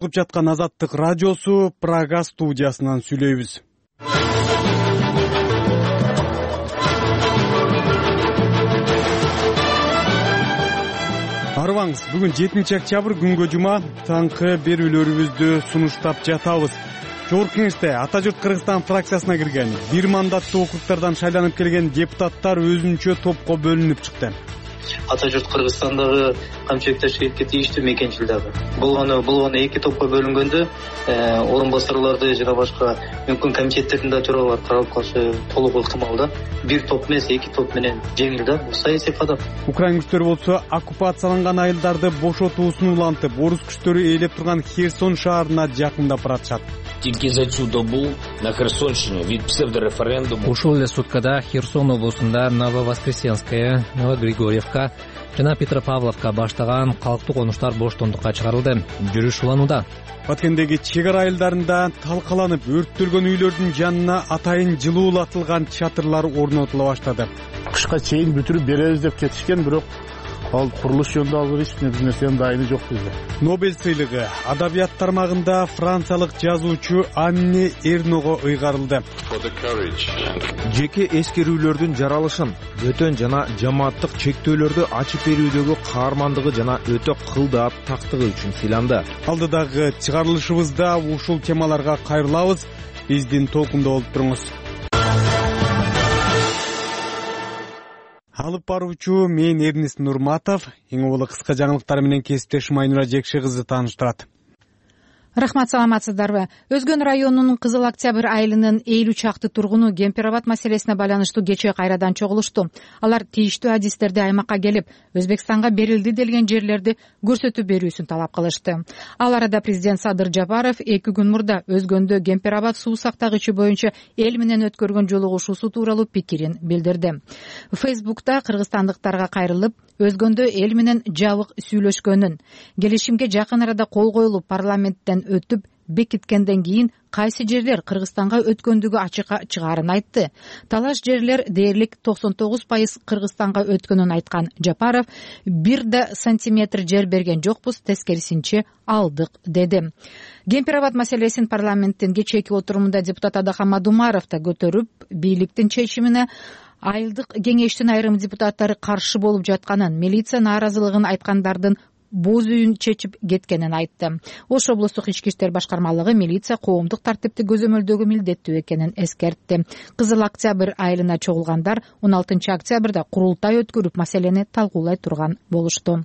Угуп жаткан Азаттык радиосу Прага студиясынан сүйлөйбүз. Арыбаңыз, бүгүн 7-октябрь күнгө жума, таңкы берүүлөрүбүздү сунуштап жатабыз. Жогорку Кеңеште Ата журт Кыргызстан фракциясына кирген 1 мандаттуу округдардан шайланып келген депутаттар өзүнчө топко бөлүнүп чыкты. Ата журт Кыргызстандагы камчылык ташкилатка тийиштүү мекенчил дагы. Болгону эки топко бөлүнгөндө орун басарларды жана башка мүмкүн комитеттердин да төрагалары каралып калышы толук ыктымал да. Бир топ эмес, эки топ менен жеңил да. Бул саясий кадам. Украин күчтөрү болсо оккупацияланган айылдарды бошотуусун улантып, орус күчтөрү ээлеп турган Херсон шаарына жакындап баратышат. Тільки за цю добу на Херсонщині від псевдореферендуму ушул эле суткада Херсон облусунда Нововоскресенская, Новогригорьевка жана Петропавловка баштаган калктуу конуштар боштондукка чыгарылды. Жүрүш уланууда. Баткендеги чек ара айылдарында талкаланып өрттөлгөн үйлөрдүн жанына атайын жылуулатылган чатырлар орнотула баштады. Кышка чейин бүтүрүп беребиз деп кетишкен, бирок ал курулуш жөнүндө алып эч нерсенин дайыны жок бизде. Нобель сыйлыгы адабият тармагында франциялык жазуучу Анне Эрного ыйгарылды. Жеке эскерүүлөрдүн жаралышын, бөтөн жана жамааттык чектөөлөрдү ачып берүүдөгү каармандыгы жана өтө кылдаап тактыгы үчүн сыйланды. Алдыдагы чыгарылышыбызда ушул темаларга кайрылабыз. Биздин толкунда болуп туруңуз. Алып баруучу мен Эрнис Нурматов, эң улуу кыска жаңылыктар менен кесиптешим Айнура Жекши кызы тааныштырат. Рахмат, саламатсыздарбы? Өзгөн районунун Кызыл Октябрь айылынын 50 чакты тургуну Кемпир-Абад маселесине байланыштуу кечээ кайрадан чогулушту. Алар тийиштүү адистерди аймакка келип, Өзбекстанга берилди делген жерлерди көрсөтүп берүүсүн талап кылышты. Ал арада президент Садыр Жапаров 2 күн мурда Өзгөндө Кемпир-Абад суу сактагычы боюнча эл менен өткөргөн жолугушуусу тууралуу пикирин билдирди. Фейсбукта кыргызстандыктарга кайрылып, Өзгөндө эл менен жабык сүйлөшкөнүн, келишимге жакын арада кол коюлуп парламенттен өтүп бекиткенден кийин кайсы жерлер Кыргызстанга өткөндүгү ачыкка чыгаарын айтты. Талаш жерлер дээрлик 99% Кыргызстанга өткөнүн айткан Жапаров, 1 сантиметр жер берген жокпуз, тескерисинче алдык деди. Кемпир-Абад маселесин парламенттин кечээки отурумунда депутат Адахан Мадумаров да көтөрүп, бийликтин чечимине айылдык кеңештин айрым депутаттары каршы болуп жатканын, милиция нааразылыгын айткандардын боз үйүн чечип кеткенин айтты. Ош облустук ички иштер башкармалыгы милиция коомдук тартипти көзөмөлдөгө милдеттүү экенин эскертти. Кызыл Октябрь айылына чогулгандар 16 октябрда курултай өткөрүп маселени талкуулай турган болушту.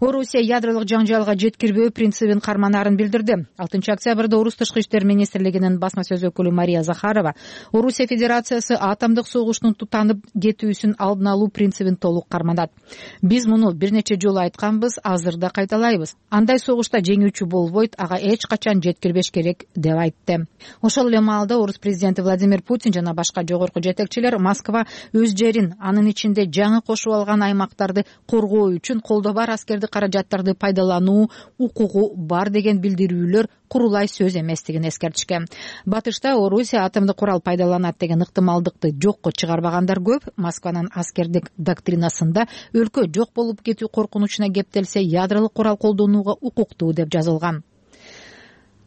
Орусия ядролук жаңжалга жеткирбөө принцибин карманаарын билдирди. 6 октябрда Орус тышкы иштер министрлигинин басма сөз өкүлү Мария Захарова Орусия Федерациясы атомдук согуштун тутанып кетүүсүн алдын алуу принцибин толук карманат. Биз муну бир нече жолу айтканбыз, азыр да кайталайбыз. Андай согушта жеңүүчү болбойт, ага эч качан жеткирбеш керек деп айтты. Ошол эле маалда Орус президенти Владимир Путин жана башка жогорку жетекчилер Москва өз жерин, анын ичинде жаңы кошуп алган аймактарды коргоо үчүн колдо бар аскерди каражаттарды пайдалануу укугу бар деген билдирүүлөр курулай сөз эместигин эскертишкен. Батышта Орусия атомдук курал пайдаланат деген ыктымалдыкты жокко чыгарбагандар көп. Москванын аскердик доктринасында өлкө жок болуп кетүү коркунучуна кептелсе, ядролук курал колдонууга укуктуу деп жазылган.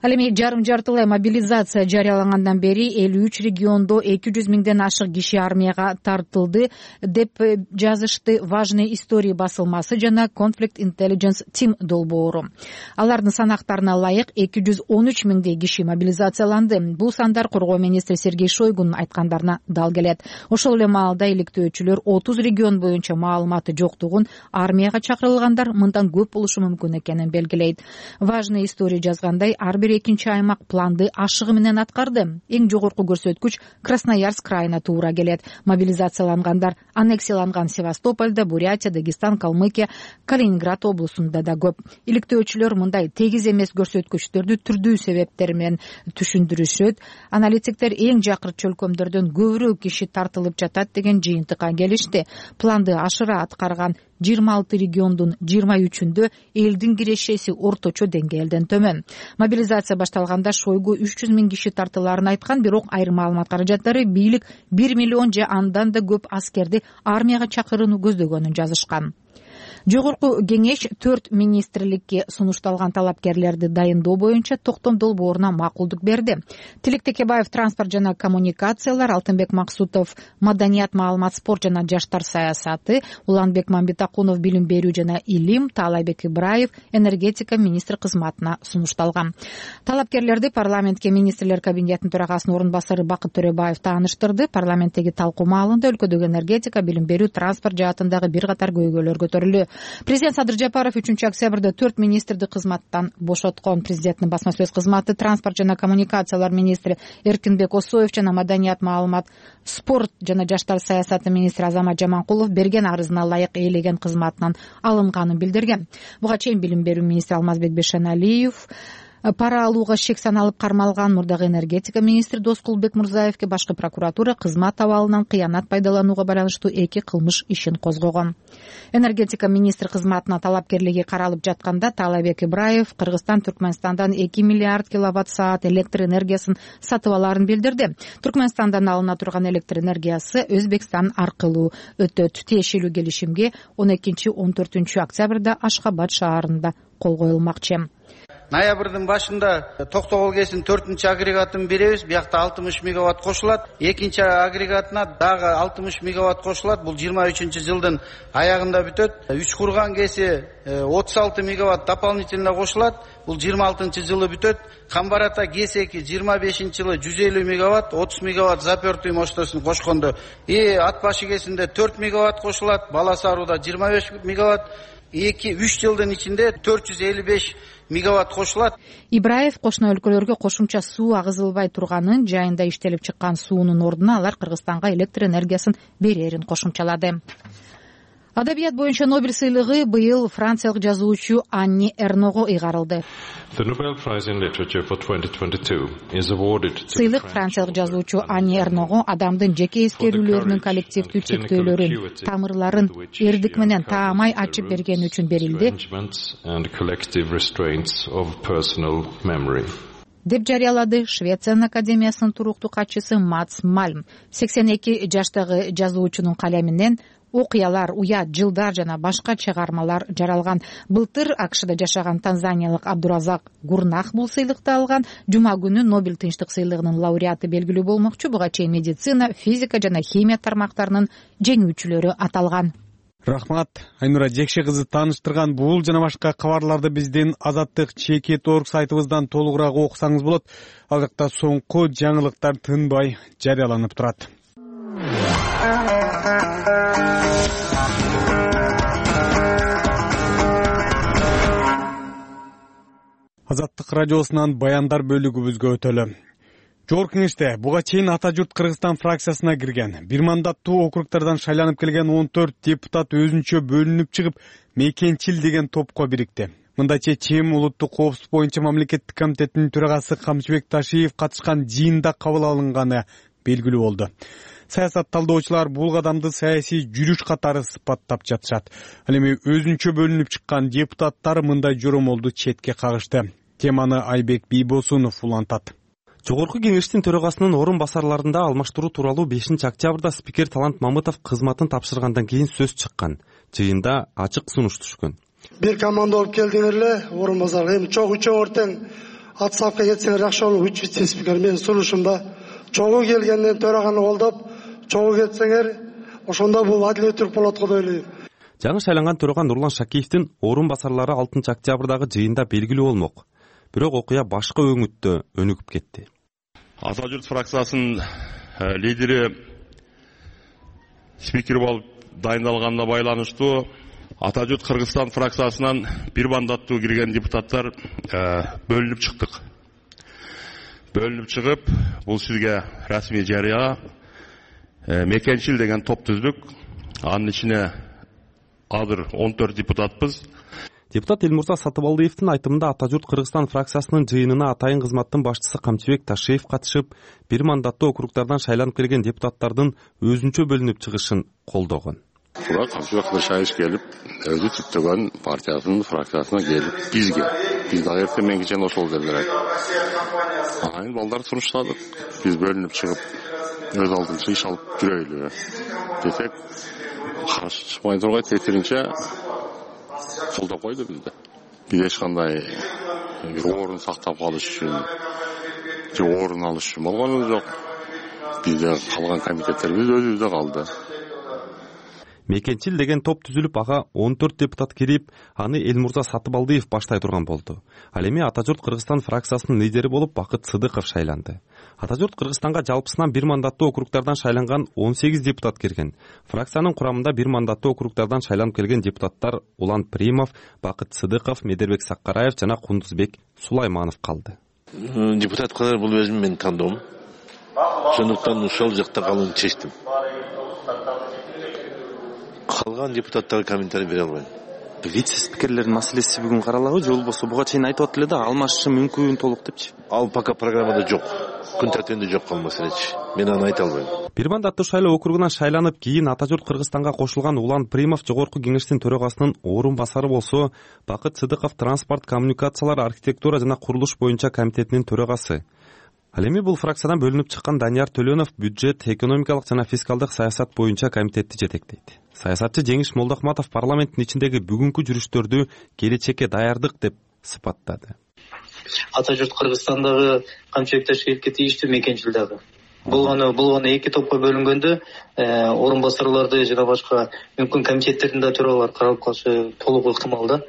Ал эми жарым-жартылай мобилизация жарыялангандан бери 53 региондо 200 миңден ашык киши армияга тартылды деп жазышты Важные истории басылмасы жана Conflict Intelligence Team долбоору. Алардын санактарына ылайык 213 миңдей киши мобилизацияланды. Бул сандар коргоо министри Сергей Шойгунун айткандарына дал келет. Ошол эле маалда иликтөөчүлөр 30 регион боюнча маалыматы жоктугун, армияга чакырылгандар мындан көп болушу мүмкүн экенин белгилейт. Важные истории жазгандай, ар бир экинчи аймак планды ашыгы менен аткарды. Эң жогорку көрсөткүч Красноярск крайына туура келет. Мобилизациялангандар аннексияланган Севастопольда, Бурятия, Дагестан, Калмыкия, Калининград облусунда да көп. Иликтөөчүлөр мындай тегиз эмес көрсөткүчтөрдү түрдүү себептер менен түшүндүрүшөт. Аналитиктер эң жакыр чөлкөмдөрдөн көбүрөөк киши тартылып жатат деген жыйынтыкка келишти. Планды ашыра аткарган 26 региондун 23-үндө элдин кирешеси орточо деңгээлден төмөн. Мобилизация башталганда Шойгу 300 миң киши тартылаарын айткан, бирок айрым маалымат каражаттары бийлик 1 миллион же андан да көп аскерди армияга чакырууну көздөгөнүн жазышкан. Жогорку кеңеш 4 министрликке сунушталган талапкерлерди дайындоо боюнча токтом долбооруна макулдук берди. Тилек Текебаев транспорт жана коммуникациялар, Алтынбек Максутов маданият, маалымат, спорт жана жаштар саясаты, Уланбек Мамбетакунов билим берүү жана илим, Таалайбек Ибраев энергетика министри кызматына сунушталган. Талапкерлерди парламентке министрлер кабинетинин төрагасынын орун басары Бакыт Төрөбаев тааныштырды. Парламенттеги талкуу маалында өлкөдөгү энергетика, билим берүү, транспорт жаатындагы бир катар көйгөйлөр көтөрүлдү. Президент Садыр Жапаров 3-октябрда 4 министрди кызматтан бошоткон. Президенттин басма сөз кызматы транспорт жана коммуникациялар министри Эркинбек Осоев жана маданият, маалымат, спорт жана жаштар саясаты министри Азамат Жаманкулов берген арызына ылайык ээлеген кызматынан алынганын билдирген. Буга чейин билим берүү министри Алмазбек Бешеналиев пара алууга шек саналып кармалган. Мурдагы энергетика министри Доскулбек Мурзаевке башкы прокуратура кызмат абалынан кыянат пайдаланууга байланыштуу 2 кылмыш ишин козгогон. Энергетика министри кызматына талапкерлиги каралып жатканда Таалайбек Ибраев Кыргызстан Түркмөнстандан 2 миллиард киловатт саат электр энергиясын сатып алаарын билдирди. Түркмөнстандан алына турган электр энергиясы Өзбекстан аркылуу өтөт. Тиешелүү келишимге 12-14 октябрда Ашхабад шаарында кол коюлмакчы. Ноябрдын башында Токтогул КЭСин 4-чү агрегатын беребиз. Биякта 60 мегаватт кошулат. Экинчи агрегатына дагы 60 мегаватт кошулат. Бул 23-жылдын аягында бүтөт. Үчкурган КЭСи 36 мегаватт дополнительно кошулат. Бул 26-жылы бүтөт. Камбарата КЭС-2 25-жылы 150 мегаватт, 30 мегаватт запертый мощностун кошкондо. Ат башы КЭСинде 4 мегаватт кошулат. Баласаруда 25 мегаватт. 2-3 жылдын ичинде 455 мегаватт кошулат. Ибраев кошуна өлкөлөргө кошумча суу агызылбай турганын, жайында иштелип чыккан суунун ордуна алар Кыргызстанга электр энергиясын берерин кошумчалады. Адабият боюнча Нобель сыйлыгы быйыл франциялык жазуучу Анни Эрного ыйгарылды. Сыйлык франциялык жазуучу Анни Эрного адамдын жеке эскерүүлөрүнүн коллективдүү чектөөлөрүн, тамырларын эрдик менен таамай ачып бергени үчүн берилди деп жарыялады Швециянын академиясынын туруктуу катчысы Мац Мальм. 82 жаштагы жазуучунун калеминен окуялар, уят, жылдар жана башка чыгармалар жаралган. Былтыр АКШда жашаган танзаниялык Абдуразак Гурнах бул сыйлыкты алган. Жума күнү Нобель тынчтык сыйлыгынын лауреаты белгилүү болмокчу. Буга чейин медицина, физика жана химия тармактарынын жеңүүчүлөрү аталган. Рахмат. Айнура Жекше кызы тааныштырган бул жана башка кабарларды биздин Азаттык Чекет.org сайтыбыздан толугураак окусаңыз болот. Ал жакта соңку жаңылыктар тынбай жарыяланып турат. Азаттык радиосунан баяндар бөлүгүбүзгө өтөлү. Жогорку кеңеште буга чейин Ата журт Кыргызстан фракциясына кирген 1 мандаттуу округдардан шайланып келген 14 депутат өзүнчө бөлүнүп чыгып, Мекенчил деген топко бирикти. Мындайча ЧЭМ улуттук коопсуздук боюнча мамлекеттик комитеттин төрагасы Камчыбек Ташиев катышкан жыйында кабыл алынганы белгилүү болду. Саясат талдоочулар бул кадамды саясий жүрүш катары сыпаттап жатышат. Ал эми өзүнчө бөлүнүп чыккан депутаттар мындай жоромолду четке кагышты. Теманы Айбек Бийбосунов улантат. Жогорку кеңештин төрагасынын орун басарларында алмаштыруу тууралуу 5-октябрда спикер Талант Мамытов кызматын тапшыргандан кийин сөз чыккан. Жыйында ачык сунуш түшкөн. Бир команда болуп келдиңер эле, орун басарга. Эми чогуу тең отставка кетсеңер жакшы болот. 3 вице-спикер менин сунушумда. Чогуу келгенден төраганы колдоп, чогуу кетсеңер, ошондо бул адилеттүүлүк болот го деп ойлойм. Жаңы шайланган төрага Нурлан Шакиевдин орун басарлары 6-октябрдагы жыйында белгилүү болмок. Бирок окуя башка өңүттө өнүгүп кетти. Ата журт фракциясынын лидери спикер болуп дайындалганына байланыштуу Ата журт Кыргызстан фракциясынан 1 мандаттуу кирген депутаттар бөлүнүп чыктык. Бөлүнүп чыгып, бул сизге расмий жарыя. Мекенчил деген топ түздүк. Анын ичине азыр 14 депутатпыз. Депутат Элмурза Сатыбалдиевдин айтымында Ата журт Кыргызстан фракциясынын жыйынына атайын кызматтын башчысы Камчыбек Ташиев катышып, 1 мандаттуу округдардан шайланып келген депутаттардын өзүнчө бөлүнүп чыгышын колдогон. Тура Камчыбек Ташиев келип, өзү түптөгөн партиясынын фракциясына келип, биз дагы эртең менен кечен ошол делдер. Анан балдар сунуштадык. Биз бөлүнүп чыгып, өз алдынча иш алып жүрөйлү десек, каршы чыкпай тургай тетиринче колдоп койду бизди. Биз эч кандай бир орун сактап калыш үчүн же орун алыш үчүн болгонубуз жок. Бизде калган комитеттерибиз өзүбүздө калды. Мекенчил деген топ түзүлүп, ага 14 депутат кирип, аны Элмурза Сатыбалдиев баштай турган болду. Ал эми Ата журт Кыргызстан фракциясынын лидери болуп Бакыт Сыдыков шайланды. Ата журт Кыргызстанга жалпысынан бир мандаттуу округтардан шайланган 18 депутат кирген. Фракциянын курамында бир мандаттуу округтардан шайланып келген депутаттар Улан Примов, Бакыт Сыдыков, Медербек Саккараев жана Кундузбек Сулайманов калды. Депутат кылар бул өзүм менин тандоом. Ошондуктан ошол жакта калууну чечтим. Калган депутаттарга комментарий бере албайм. Вице-спикерлердин маселеси бүгүн каралабы же болбосо буга чейин айтып атты эле да алмашышы мүмкүн толук депчи? Ал пока программада жок. Күн тартибинде жок ал маселечи. Мен аны айта албайм. Бир мандаттуу шайлоо округунан шайланып, кийин Ата журт Кыргызстанга кошулган Улан Примов жогорку кеңештин төрагасынын орун басары болсо, Бакыт Сыдыков транспорт, коммуникациялар, архитектура жана курулуш боюнча комитетинин төрагасы. Ал эми бул фракциядан бөлүнүп чыккан Данияр Төлөнов бюджет, экономикалык жана фискалдык саясат боюнча комитетти жетектейт. Саясатчы Жеңиш Молдохматов парламенттин ичиндеги бүгүнкү жүрүштөрдү келечекке даярдык деп сыпаттады. Ата журт Кыргызстандагы камчылыкташылыкка тийиштүү мекенчил дагы. Болгону эки топко бөлүнгөндө орун басарларды жана башка мүмкүн комитеттердин да төрагалары каралып калышы толук ыктымал да.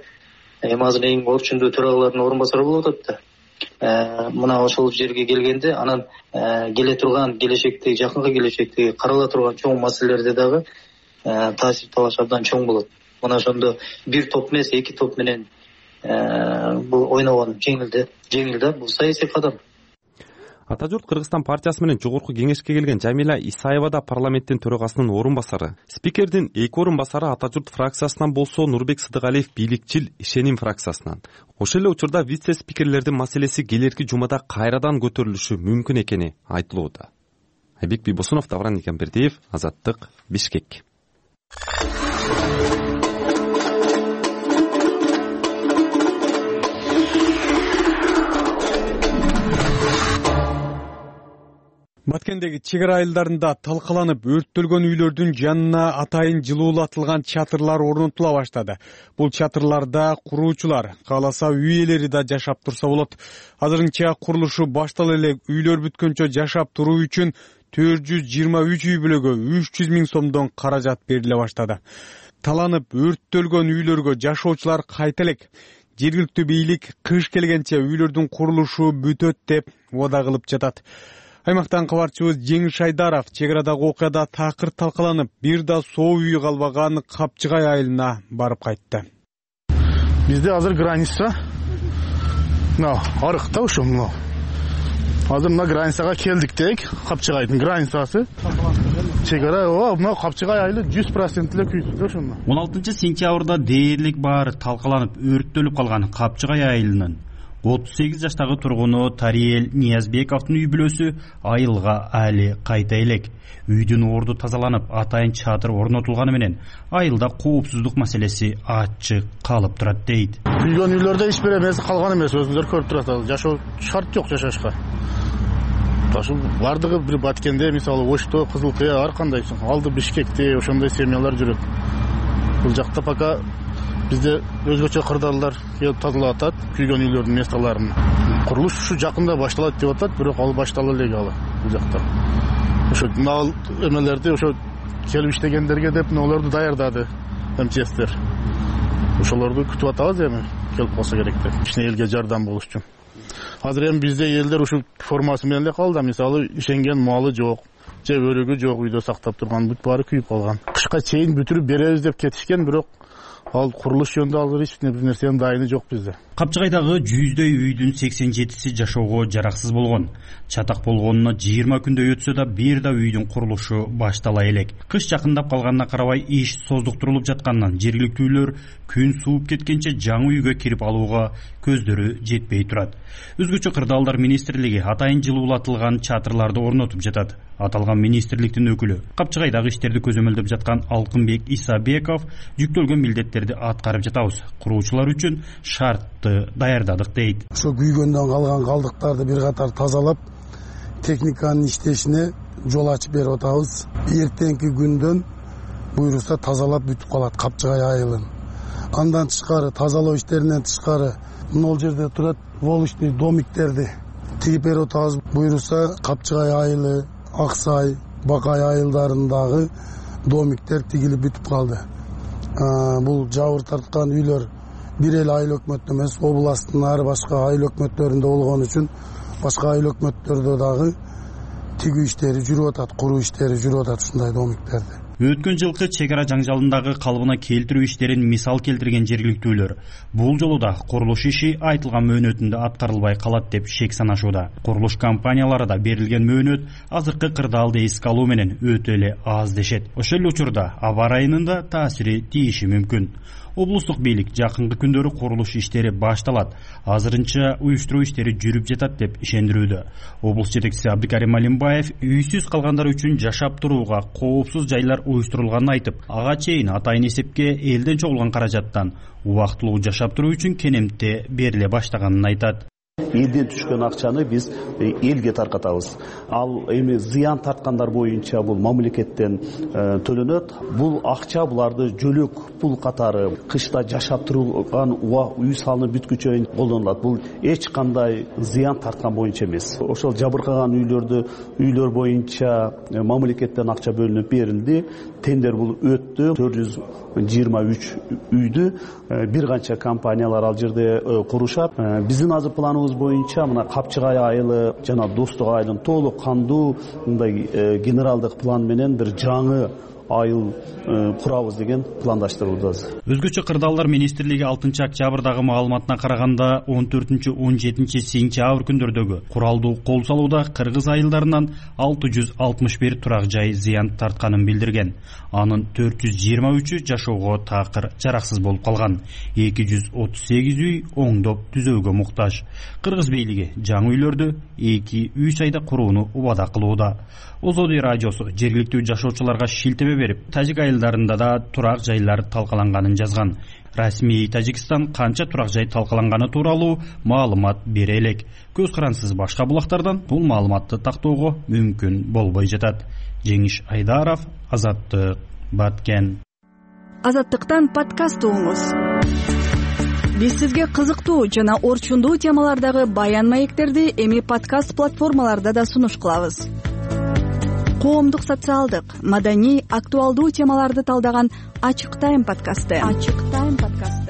Эми азыр эң орчундуу төрагалардын орун басары болуп атат да. Мына ошол жерге келгенде анан келе турган келечекте, жакынкы келечекте карала турган чоң маселелерде дагы таасир талаш абдан чоң болот. Мына ошондо бир топ эмес, эки топ менен бул ойногон жеңил да, бул саясий кадам. Ата журт Кыргызстан партиясы менен жогорку кеңешке келген Жамила Исаева да парламенттин төрагасынын орун басары. Спикердин эки орун басары Ата журт фракциясынан болсо, Нурбек Сыдыгалиев бийликчил Ишеним фракциясынан. Ошол эле учурда вице-спикерлердин маселеси келерки жумада кайрадан көтөрүлүшү мүмкүн экени айтылууда. Айбек Бийбосунов, Давран Никембердиев, Азаттык, Бишкек. Баткендеги чек ара айылдарында талкаланып өрттөлгөн үйлөрдүн жанына атайын жылуулатылган чатырлар орнотула баштады. Бул чатырларда куруучулар кааласа үй ээлери да жашап турса болот. Азырынча курулушу баштала элек үйлөр бүткөнчө жашап туруу үчүн 423 үй бүлөгө 300 000 сомдон каражат бериле баштады. Таланып өрттөлгөн үйлөргө жашоочулар кайта элек. Жергиликтүү бийлик кыш келгенче үйлөрдүн курулушу бүтөт деп убада кылып жатат. Аймактан кабарчыбыз Жеңиш Айдаров чек арадагы окуяда такыр талкаланып, бир да соо үй калбаган Капчыгай айылына барып кайтты. Бизде азыр граница арыкта ошо. Азыр мына границага келдик дейк, Капчыгайдын границасы. Чек ара, мына Капчыгай айылы 100% эле күйдү ошондо. 16-сентябрда дээрлик баары талкаланып, өрттөлүп калган Капчыгай айылынын 38 жаштагы тургуну Тариел Ниязбековдун үй бүлөсү айылга али кайта элек. Үйдүн орду тазаланып, атайын чатыр орнотулганы менен айылда коопсуздук маселеси ачык калып турат дейт. Күйгөн үйлөрдө эч бир эмеси калган эмес, өзүңөр көрүп турасыздар. Жашоо шарт жок жашашка. Ошол бардыгы бир Баткенде, мисалы Ошто, Кызыл Кыя, ар кандай алды Бишкекте ошондой семьялар жүрөт. Бул жакта пока бизде өзгөчө кырдаалдар келип тазалап атат күйгөн үйлөрдүн местолорун. Курулуш ушу жакында башталат деп атат, бирок ал баштала элек ал бул жакта. Ошо нал эмелерди ошо келип иштегендерге деп нолорду даярдады МЧСтер. Ошолорду күтүп атабыз эми, келип калса керек деп. Ичине элге жардам болуш үчүн. Азыр эми бизде элдер ушу формасы менен эле калды. Мисалы ишенген малы жок, же өрөгү жок, үйдө сактап турган бүт баары күйүп калган. Кышка чейин бүтүрүп беребиз деп кетишкен, бирок ал курулуш жөнүндө азыр эч бир нерсенин дайыны жок бизде. Капчыгайдагы 100дөй үйдүн 87си жашоого жараксыз болгон. Чатак болгонуна 20 күндөй өтсө да бир да үйдүн курулушу баштала элек. Кыш жакындап калганына карабай иш создуктурулуп жатканынан жергиликтүүлөр күн сууп кеткенче жаңы үйгө кирип алууга көздөрү жетпей турат. Өзгөчө кырдаалдар министрлиги атайын жылуулатылган чатырларды орнотуп жатат. Аталган министрликтин өкүлү Капчыгайдагы иштерди көзөмөлдөп жаткан Алкынбек Исабеков жүктөлгөн милдеттерди аткарып жатабыз. Куруучулар үчүн шартты даярдадык дейт. Ошо күйгөндөн калган калдыктарды бир катар тазалап, техниканын иштешине жол ачып берип атабыз. Эртеңки күндөн буйрукса тазалап бүтүп калат Капчыгай айылын. Андан тышкары тазалоо иштеринен тышкары могул жерде турат волочный домиктерди тигип берип атабыз. Буйруса Капчыгай айылы, Аксай, Бакай айылдарындагы домиктер тигилип бүтүп калды. Бул жабыр тарткан үйлөр бир эле айыл өкмөттө эмес, областтын ар башка айыл өкмөттөрүндө болгон үчүн башка айыл өкмөттөрдө дагы тигүү иштери жүрүп атат, куруу иштери жүрүп атат ушундай домиктерди. Өткөн жылкы чек ара жаңжалындагы калыбына келтирүү иштерин мисал келтирген жергиликтүүлөр бул жолу да курулуш иши айтылган мөөнөтүндө аткарылбай калат деп шек санашууда. Курулуш компаниялары да берилген мөөнөт азыркы кырдаалды эске алуу менен өтө эле аз дешет. Ошол эле учурда аба ырайынын да таасири тийиши мүмкүн. Облустук бийлик жакынкы күндөрү курулуш иштери башталат, азырынча уюштуруу иштери жүрүп жатат деп ишендирүүдө. Облус жетекчиси Абдыкарим Алимбаев үйсүз калгандар үчүн жашап турууга коопсуз жайлар уюштурулганын айтып, ага чейин атайын эсепке элден чогулган каражаттан убактылуу жашап туруу үчүн кенемте бериле баштаганын айтат. Элден түшкөн акчаны биз элге таркатабыз. Ал эми зыян тарткандар боюнча бул мамлекеттен төлөнөт. Бул акча буларды жөлөк пул катары кышта жашап турган үй салынып бүткүчө колдонулат. Бул эч кандай зыян тарткан боюнча эмес. Ошол жабыркаган үйлөр боюнча мамлекеттен акча бөлүнүп берилди. Тендер бул өттү. 423 үйдү бир канча компаниялар ал жерде курушат. Биздин азыр планыбыз боюнча мына Капчыгай айылы жана Достук айылын толук кандуу мындай генералдык план менен бир жаңы айыл курабыз деген пландаштыруудабыз. Өзгөчө кырдаалдар министрлиги 6 октябрдагы маалыматына караганда 14-17 сентябрь күндөрдөгү куралдуу кол салууда кыргыз айылдарынан 661 турак жай зыян тартканын билдирген. Анын 423-ү жашоого такыр жараксыз болуп калган. 238 үй оңдоп түзөөгө муктаж. Кыргыз бийлиги жаңы үйлөрдү 2-3 айда курууну убада кылууда. Озоди радиосу жергиликтүү жашоочуларга шилтеме берип, тажик айылдарында да турак жайлар талкаланганын жазган. Расмий Тажикстан канча турак жай талкаланганы тууралуу маалымат бере элек. Көз карансыз башка булактардан бул маалыматты тактоого мүмкүн болбой жатат. Жеңиш Айдаров, Азаттык, Баткен. Азаттыктан подкаст угуңуз. Биз сизге кызыктуу жана орчундуу темалардагы баян маектерди эми подкаст платформаларда да сунуш кылабыз. Коомдук, социалдык, маданий, актуалдуу темаларды талдаган Ачык Тайм подкасты.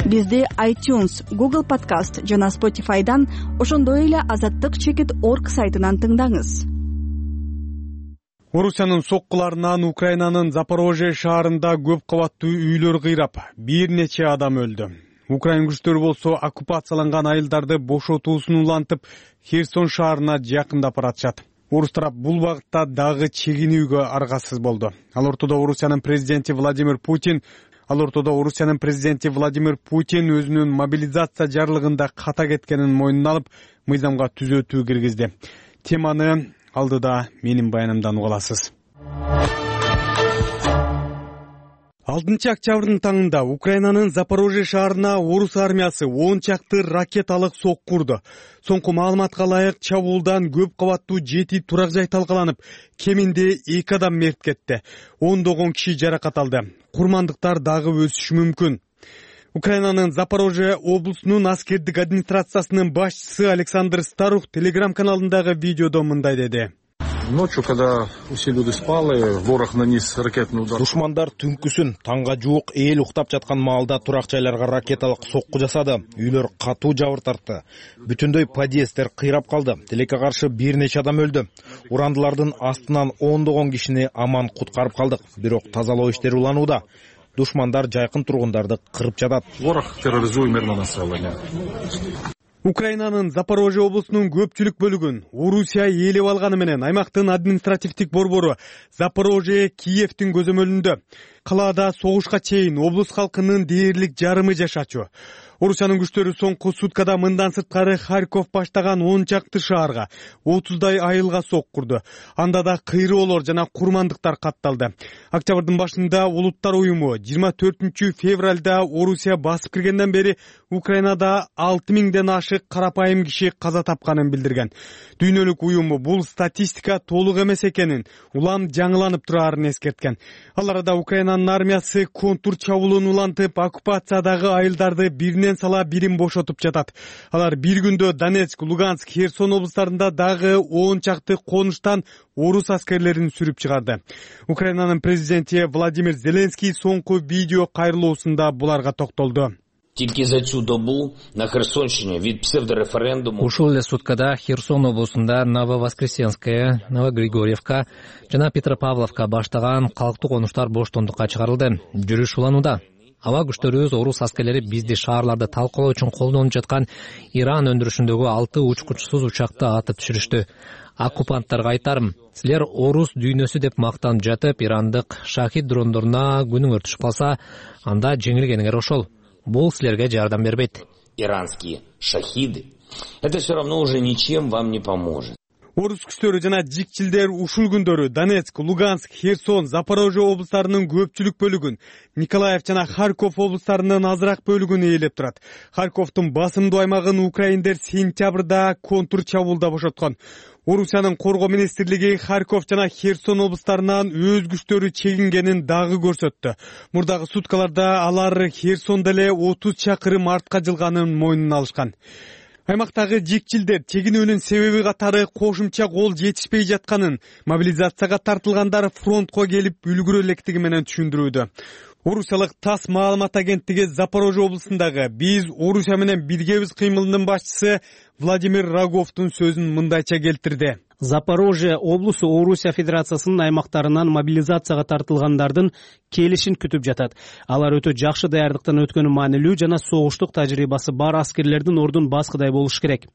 Бизди iTunes, Google Podcast жана Spotify'дан, ошондой эле azattyk.org сайтынан тыңдаңыз. Орусиянын соккуларынан Украинанын Запорожье шаарында көп кабаттуу үйлөр кыйрап, бир нече адам өлдү. Украин күчтөрү болсо оккупацияланган айылдарды бошотуусун улантып, Херсон шаарына жакындап баратышат. Орус тарап бул багытта дагы чегинүүгө аргасыз болду. Ал ортодо Орусиянын президенти Владимир Путин өзүнүн мобилизация жарлыгында ката кеткенин мойнуна алып, мыйзамга түзөтүү киргизди. Теманы алдыда менин баянымдан уга аласыз. 6 октябрдын таңында Украинанын Запорожье шаарына орус армиясы 10 чакты ракеталык сокку урду. Соңку маалыматка ылайык чабуулдан көп кабаттуу 7 турак жай талкаланып, кеминде 2 адам мерт кетти. 10 киши жаракат алды. Курмандыктар дагы өсүшү мүмкүн. Украинанын Запорожье облусунун аскердик администрациясынын башчысы Александр Старух телеграм-каналындагы видеодо мындай деди. Ночью, когда все люди спали, ворог нанес ракетный удар. Душмандар түнкүсүн таңга жуук эл уктап жаткан маалда турак жайларга ракеталык сокку жасады. Үйлөр катуу жабыр тартты. Бүтүндөй подъезддер кыйрап калды. Тилекке каршы бир нече адам өлдү. Урандылардын астынан 10 кишини аман куткарып калдык. Бирок тазалоо иштери уланууда. Душмандар жайкын тургундарды кырып жатат. Ворог терроризует мирное население. Украинанын Запорожье облусунун көпчүлүк бөлүгүн Орусия ээлеп алганы менен аймактын административдик борбору Запорожье Киевдин көзөмөлүндө. Калаада согушка чейин облус халкынын дээрлик жарымы жашачу. Орусиянын күчтөрү соңку суткада мындан сырткары Харьков баштаган 10 чакты шаарга 30дай айылга сокку урду. Анда да кыйроолор жана курмандыктар катталды. Октябрдын башында Улуттар уюму 24 февралда Орусия басып киргенден бери Украинада 6000ден ашык карапайым киши каза тапканын билдирген. Дүйнөлүк уюму бул статистика толук эмес экенин, улам жаңыланып турарын эскерткен. Ал арада Украинанын Украинанын армиясы контур чабуулун улантып, оккупациядагы айылдарды биринен сала бирин бошотуп жатат. Алар бир күндө Донецк, Луганск, Херсон облустарында дагы 10 чакты конуштан орус аскерлерин сүрүп чыгарды. Украинанын президенти Владимир Зеленский соңку видео кайрылуусунда буларга токтолду. Тільки за цю добу на Херсонщині від псевдореферендуму ушул эле суткада Херсон облусунда Нововоскресенская, Новогригорьевка жана Петропавловка баштаган калктуу конуштар боштондукка чыгарылды. Жүрүш уланууда. Аба күчтөрүбүз орус аскерлери бизди шаарларды талкалоо үчүн колдонуп жаткан Иран өндүрүшүндөгү 6 учкучсуз учакты атып түшүрүштү. Оккупанттарга айтарым, силер орус дүйнөсү деп мактанып жатып, ирандык шахид дрондоруна күнүңөр түшүп калса, анда жеңилгениңер ошол. Бул силерге жардам бербейт. Иранские шахиды. Это все равно уже ничем вам не поможет. Орус күчтөрү жана жикчилдер ушул күндөрү Донецк, Луганск, Херсон, Запорожье облустарынын көпчүлүк бөлүгүн, Николаев жана Харьков облустарынын азыраак бөлүгүн ээлеп турат. Харьковдун басымдуу аймагын украиндер сентябрда контур чабуулда бошоткон. Орусиянын коргоо министрлиги Харьков жана Херсон облустарынан өз күчтөрү чегингенин дагы көрсөттү. Мурдагы суткаларда алар Херсондо эле 30 чакырым артка жылганын мойнуна алышкан. Аймактагы жикчилдер чегинүүнүн себеби катары кошумча кол жетишпей жатканын, мобилизацияга тартылгандар фронтко келип үлгүрө электиги менен түшүндүрүүдө. Орусиялык ТАСС маалымат агенттиги Запорожье облусундагы «Биз Орусия менен биргебиз» кыймылынын башчысы Владимир Роговдун сөзүн мындайча келтирди. Запорожье облусу Орусия Федерациясынын аймактарынан мобилизацияга тартылгандардын келишин күтүп жатат. Алар өтө жакшы даярдыктан өткөнү маанилүү жана согуштук тажрыйбасы бар аскерлердин ордун баскыдай болуш керек.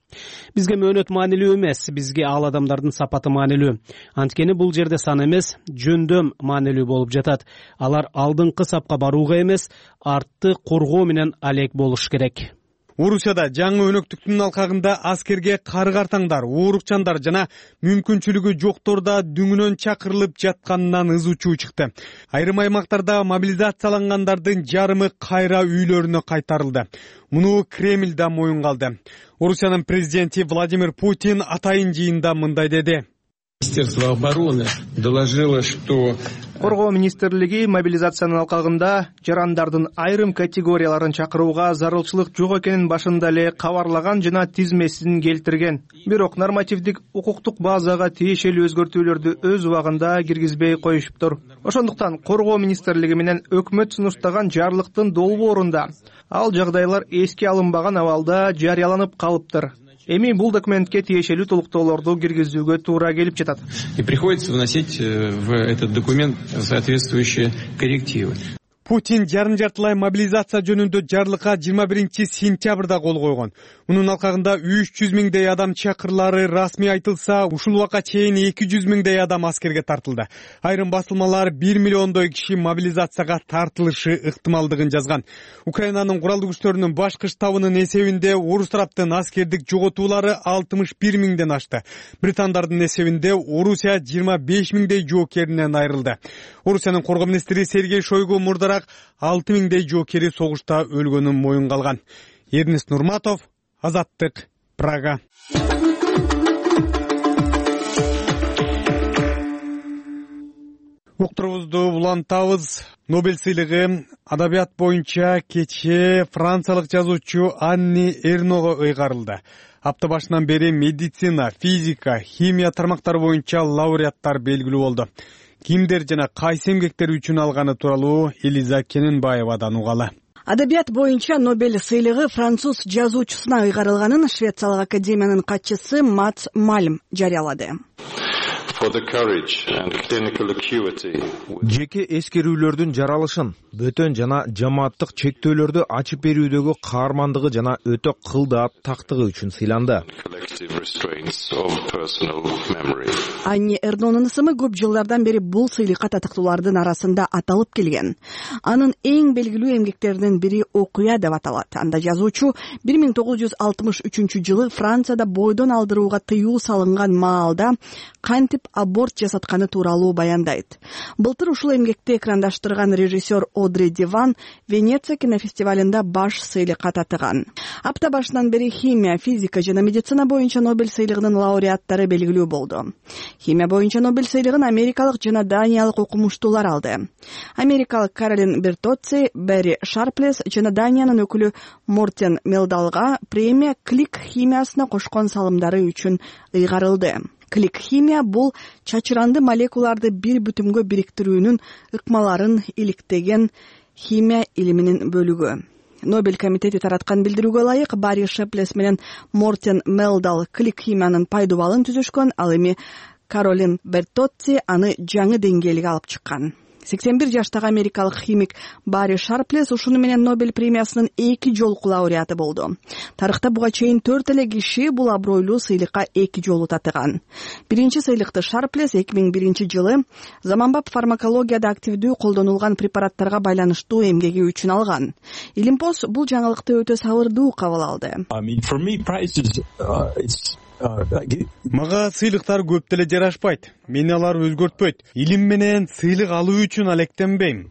Бизге мөөнөт маанилүү эмес, бизге ал адамдардын сапаты маанилүү. Анткени бул жерде сан эмес, жөндөм маанилүү болуп жатат. Алар алдыңкы сапка барууга эмес, артты коргоо менен алек болуш керек. Орусияда жаңы өнөктүктүн алкагында аскерге кары-картаңдар, оорукчандар жана мүмкүнчүлүгү жоктор да дүңүнөн чакырылып жатканынан ызы чуу чыкты. Айрым аймактарда мобилизациялангандардын жарымы кайра үйлөрүнө кайтарылды. Муну Кремль да моюнга алды. Орусиянын президенти Владимир Путин атайын жыйында мындай деди. Министерство обороны доложило, что Коргоо министрлиги мобилизациянын алкагында жарандардын айрым категорияларын чакырууга зарылчылык жок экенин башында эле кабарлаган жана тизмесин келтирген. Бирок нормативдик укуктук базага тиешелүү өзгөртүүлөрдү өз убагында киргизбей коюшуптур. Ошондуктан Коргоо министрлиги менен өкмөт сунуштаган жарлыктын долбоорунда ал жагдайлар эске алынбаган абалда жарыяланып калыптыр. Эми бул документке тиешелүү толуктоолорду киргизүүгө туура келип жатат. И приходится вносить в этот документ соответствующие коррективы. Путин жарым-жартылай мобилизация жөнүндө жарлыкка 21 сентябрда кол койгон. Мунун алкагында 300 миңдей адам чакырылары расмий айтылса, ушул убакка чейин 200 миңдей адам аскерге тартылды. Айрым басылмалар 1 миллиондой киши мобилизацияга тартылышы ыктымалдыгын жазган. Украинанын куралдуу күчтөрүнүн башкы штабынын эсебинде орус тараптын аскердик жоготуулары 61 миңден ашты. Британдардын эсебинде Орусия 25 миңдей жоокеринен айрылды. Орусиянын коргоо министри Сергей Шойгу мурдарак 6 миңдей жоокери согушта өлгөнүн моюнга алган. Эрнест Нурматов, Азаттык, Прага. Уктурубузду улантабыз. Нобель сыйлыгы адабият боюнча кечээ франциялык жазуучу Анни Эрного ыйгарылды. Апта башынан бери медицина, физика, химия тармактары боюнча лауреаттар белгилүү болду. Кимдер жана кайсы эмгектери үчүн алганы тууралуу Элиза Кененбаевадан угалы. Адабият боюнча Нобель сыйлыгы француз жазуучусуна ыйгарылганын Швециялык академиянын катчысы Матс Мальм жарыялады. Жеке эскерүүлөрдүн жаралышын, бөтөн жана жамааттык чектөөлөрдү ачып берүүдөгү каармандыгы жана өтө кылдаат тактыгы үчүн сыйланды. Анни Эрнонун ысымы көп жылдардан бери бул сыйлыкка татыктуулардын арасында аталып келген. Анын эң белгилүү эмгектеринин бири Окуя деп аталат. Анда жазуучу 1963 жылы Францияда бойдон алдырууга тыюу салынган маалда кантип аборт жасатканы тууралуу баяндайт. Былтыр ушул эмгекти экрандаштырган режиссер Одри Диван Венеция кинофестивалында баш сыйлыкка татыган. Апта башынан бери химия, физика жана медицина боюнча Нобель сыйлыгынын лауреаттары белгилүү болду. Химия боюнча Нобель сыйлыгын америкалык жана даниялык окумуштуулар алды. Америкалык Каролин Бертоцци, Берри Шарплес жана Даниянын өкүлү Мортен Мелдалга премия клик химиясына кошкон салымдары үчүн ыйгарылды. Клик химия бул чачыранды молекулаларды бир бүтүнгө бириктирүүнүн ыкмаларын иликтеген химия илиминин бөлүгү. Нобель комитети тараткан билдирүүгө ылайык Барри Шарплес менен Мортен Мелдал клик химиянын пайдубалын түзүшкөн, ал эми Каролин Бертоцци аны жаңы деңгээлге алып чыккан. 81 жаштагы америкалык химик Барри Шарплес ушуну менен Нобель премиясынын 2 жолку лауреаты болду. Тарыхта буга чейин 4 эле киши бул абройлуу сыйлыкка 2 жолу татыган. Биринчи сыйлыкты Шарплес 2001 жылы заманбап фармакологияда активдүү колдонулган препараттарга байланыштуу эмгеги үчүн алган. Илимпоз бул жаңылыкты өтө сабырдуу кабыл алды. Мага сыйлыктар көп деле жарашпайт. Мени алар өзгөртпөйт. Илим менен сыйлык алуу үчүн алектенбейм.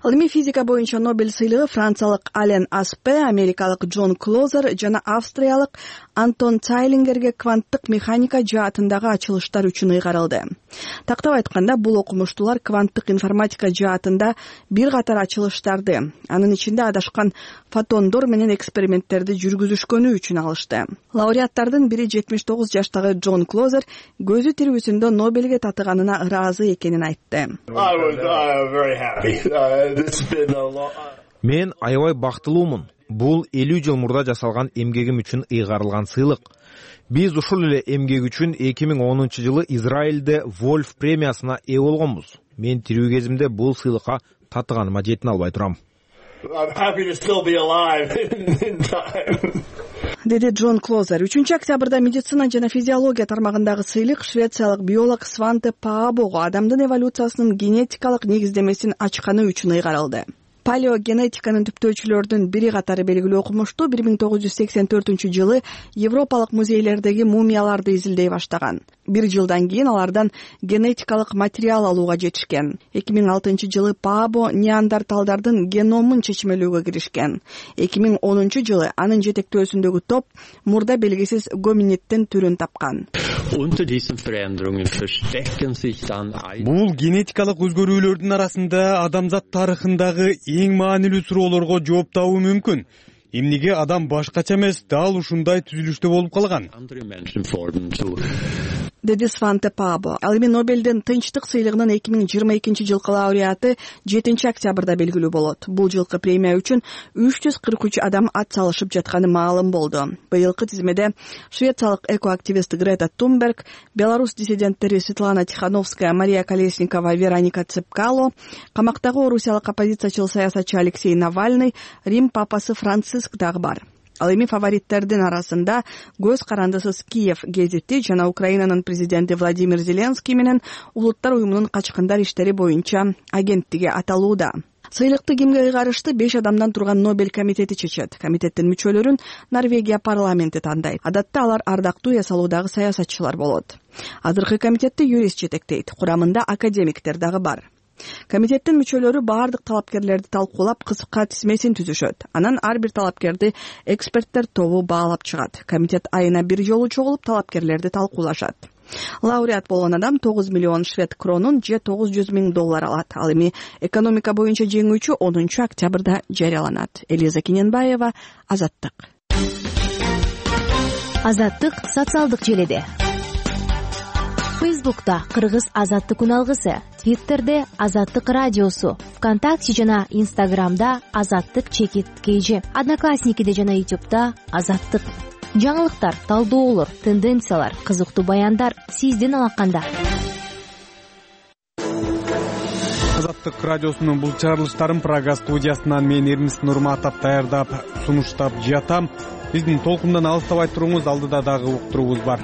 Ал эми физика боюнча Нобель сыйлыгы франциялык Ален Аспе, америкалык Джон Клозер жана австриялык Антон Цайлингерге кванттык механика жаатындагы ачылыштар үчүн ыйгарылды. Тактап айтканда, бул окумуштуулар кванттык информатика жаатында бир катар ачылыштарды, анын ичинде адашкан фотондор менен эксперименттерди жүргүзүшкөнү үчүн алышты. Лауреаттардын бири 79 жаштагы Джон Клозер көзү тирүүсүндө Нобелге татыганына ыраазы экенин айтты. Мен аябай бактылуумун. Бул 50 жыл мурда жасалган эмгегим үчүн ыйгарылган сыйлык. Биз ушул эле эмгек үчүн 2010 жылы Израилде Вольф премиясына ээ болгонбуз. Мен тирүү кезимде бул сыйлыкка татыганыма жетине албай турам. Деди Джон Клозер. 3 октябрда медицина жана физиология тармагындагы сыйлык швециялык биолог Сванте Паабого адамдын эволюциясынын генетикалык негиздемесин ачканы үчүн ыйгарылды. Палеогенетиканын түптөөчүлөрдүн бири катары белгилүү окумуштуу 1984 жылы Европалык музейлердеги мумияларды изилдей баштаган. 1 жылдан кийин алардан генетикалык материал алууга жетишкен. 2006 жылы Паабо неандерталдардын геномун чечмелөөгө киришкен. 2010 жылы анын жетектөөсүндөгү топ мурда белгисиз гоминиддин түрүн тапкан. Бул генетикалык өзгөрүүлөрдүн арасында адамзат тарыхындагы эң маанилүү суроолорго жооп табуу мүмкүн. Эмнеге адам башкача эмес, дал ушундай түзүлүштө болуп калган? Деди Сванте Паабо. Ал эми Нобелдин тынчтык сыйлыгынын 2022 жылкы лауреаты 7 октябрда белгилүү болот. Бул жылкы премия үчүн 343 адам ат салышып жатканы маалым болду. Быйылкы тизмеде швециялык экоактивист Грета Тунберг, белорус диссиденттери Светлана Тихановская, Мария Колесникова, Вероника Цепкало, камактагы орусиялык оппозициячыл саясатчы Алексей Навальный, Рим папасы Франциск дагы бар. Ал эми фавориттердин арасында көз карандысыз Киев гезити жана Украинанын президенти Владимир Зеленский менен Улуттар уюмунун качкындар иштери боюнча агенттиги аталууда. Сыйлыкты кимге ыйгарышты 5 адамдан турган Нобель комитети чечет. Комитеттин мүчөлөрүн Норвегия парламенти тандайт. Адатта алар ардактуу эс алуудагы саясатчылар болот. Азыркы комитетти юрист жетектейт. Курамында академиктер дагы бар. Комитеттин мүчөлөрү баардык талапкерлерди талкуулап кыска тизмесин түзүшөт. Анан ар бир талапкерди эксперттер тобу баалап чыгат. Комитет айына 1 жолу чогулуп талапкерлерди талкуулашат. Лауреат болгон адам 9 миллион швед кронун же $900,000 алат. Ал эми экономика боюнча жеңүүчү 10 октябрда жарыяланат. Элиза Кененбаева, Азаттык. Азаттык социалдык желеде. Фейсбукта Кыргыз Азаттык үналгысы, Твиттерде Азаттык радиосу, ВКонтакте жана Инстаграмда Азаттык _KG, Одноклассникиде жана Ютубта Азаттык. Жаңылыктар, талдоолор, тенденциялар, кызыктуу баяндар сиздин алаканда. Азаттык радиосунун бул чыгарылыштарын Прага студиясынан мен Эрмис Нурматов даярдап, сунуштап жатам. Биздин толкундан алыстабай туруңуз, алдыда дагы уктуруубуз бар.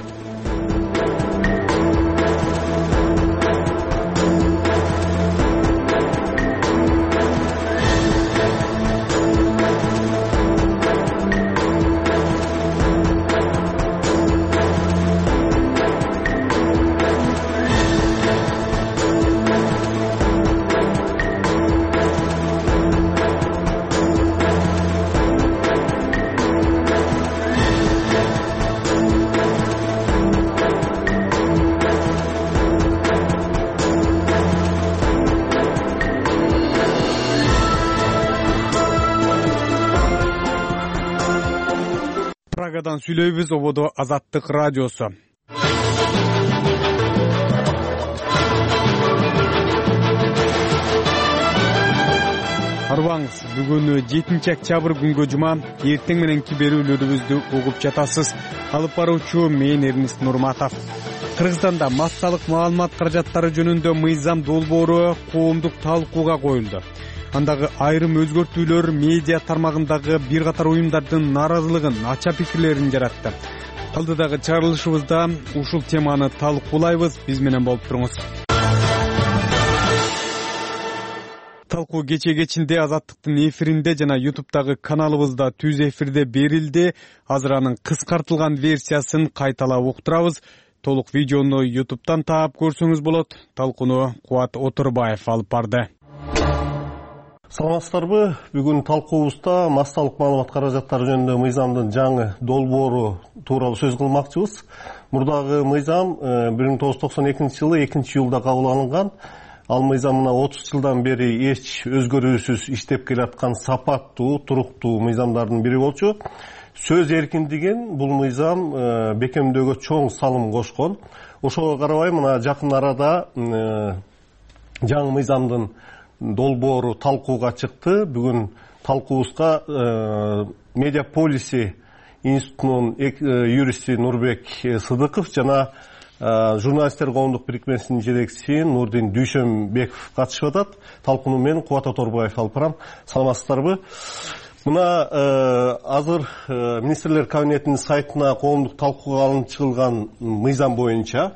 Прагадан сүйлөйбүз, ободо Азаттык радиосу. Арбаңыз, бүгүн 7 октябрь күнгө жума, эртең мененки берүүлөрүбүздү угуп жатасыз. Алып баруучу мен Эрнис Нурматов. Кыргызстанда массалык маалымат каражаттары жөнүндө мыйзам долбоору коомдук талкууга коюлду. Андагы айрым өзгөртүүлөр медиа тармагындагы бир катар уюмдардын нааразылыгын, ача пикирлерин жаратты. Алдыдагы чыгарылышыбызда ушул теманы талкуулайбыз. Биз менен болуп туруңуз. Талкуу кечинде Азаттыктын эфиринде жана YouTube'дагы каналыбызда түз эфирде берилди. Азыр анын кыскартылган версиясын кайталап уктурабыз. Толук видеону YouTube'дан таап көрсөңүз болот. Талкууну Кубат Отурбаев алып барды. Саламатсыздарбы? Бүгүн талкуубузда массалык маалымат каражаттары жөнүндө мыйзамдын жаңы долбоору тууралуу сөз кылмакчыбыз. Мурдагы мыйзам 1992 жылы 2-июлда кабыл алынган. Ал мыйзам мына 30 жылдан бери эч өзгөрүүсүз иштеп келаткан сапаттуу, туруктуу мыйзамдардын бири болчу. Сөз эркиндигин бул мыйзам бекемдөөгө чоң салым кошкон. Ошого карабай мына жакын арада жаңы мыйзамдын долбоору талкууга чыкты. Бүгүн талкуубузга Медиаполиси институтунун юристи Нурбек Сыдыков жана журналисттер коомдук бирикмесинин жетекчиси Нурдин Дүйшөнбеков катышып атат. Талкууну мен Кубат Оторбаев алып барам. Саламатсыздарбы? Мына азыр министрлер кабинетинин сайтына коомдук талкууга алынып чыгылган мыйзам боюнча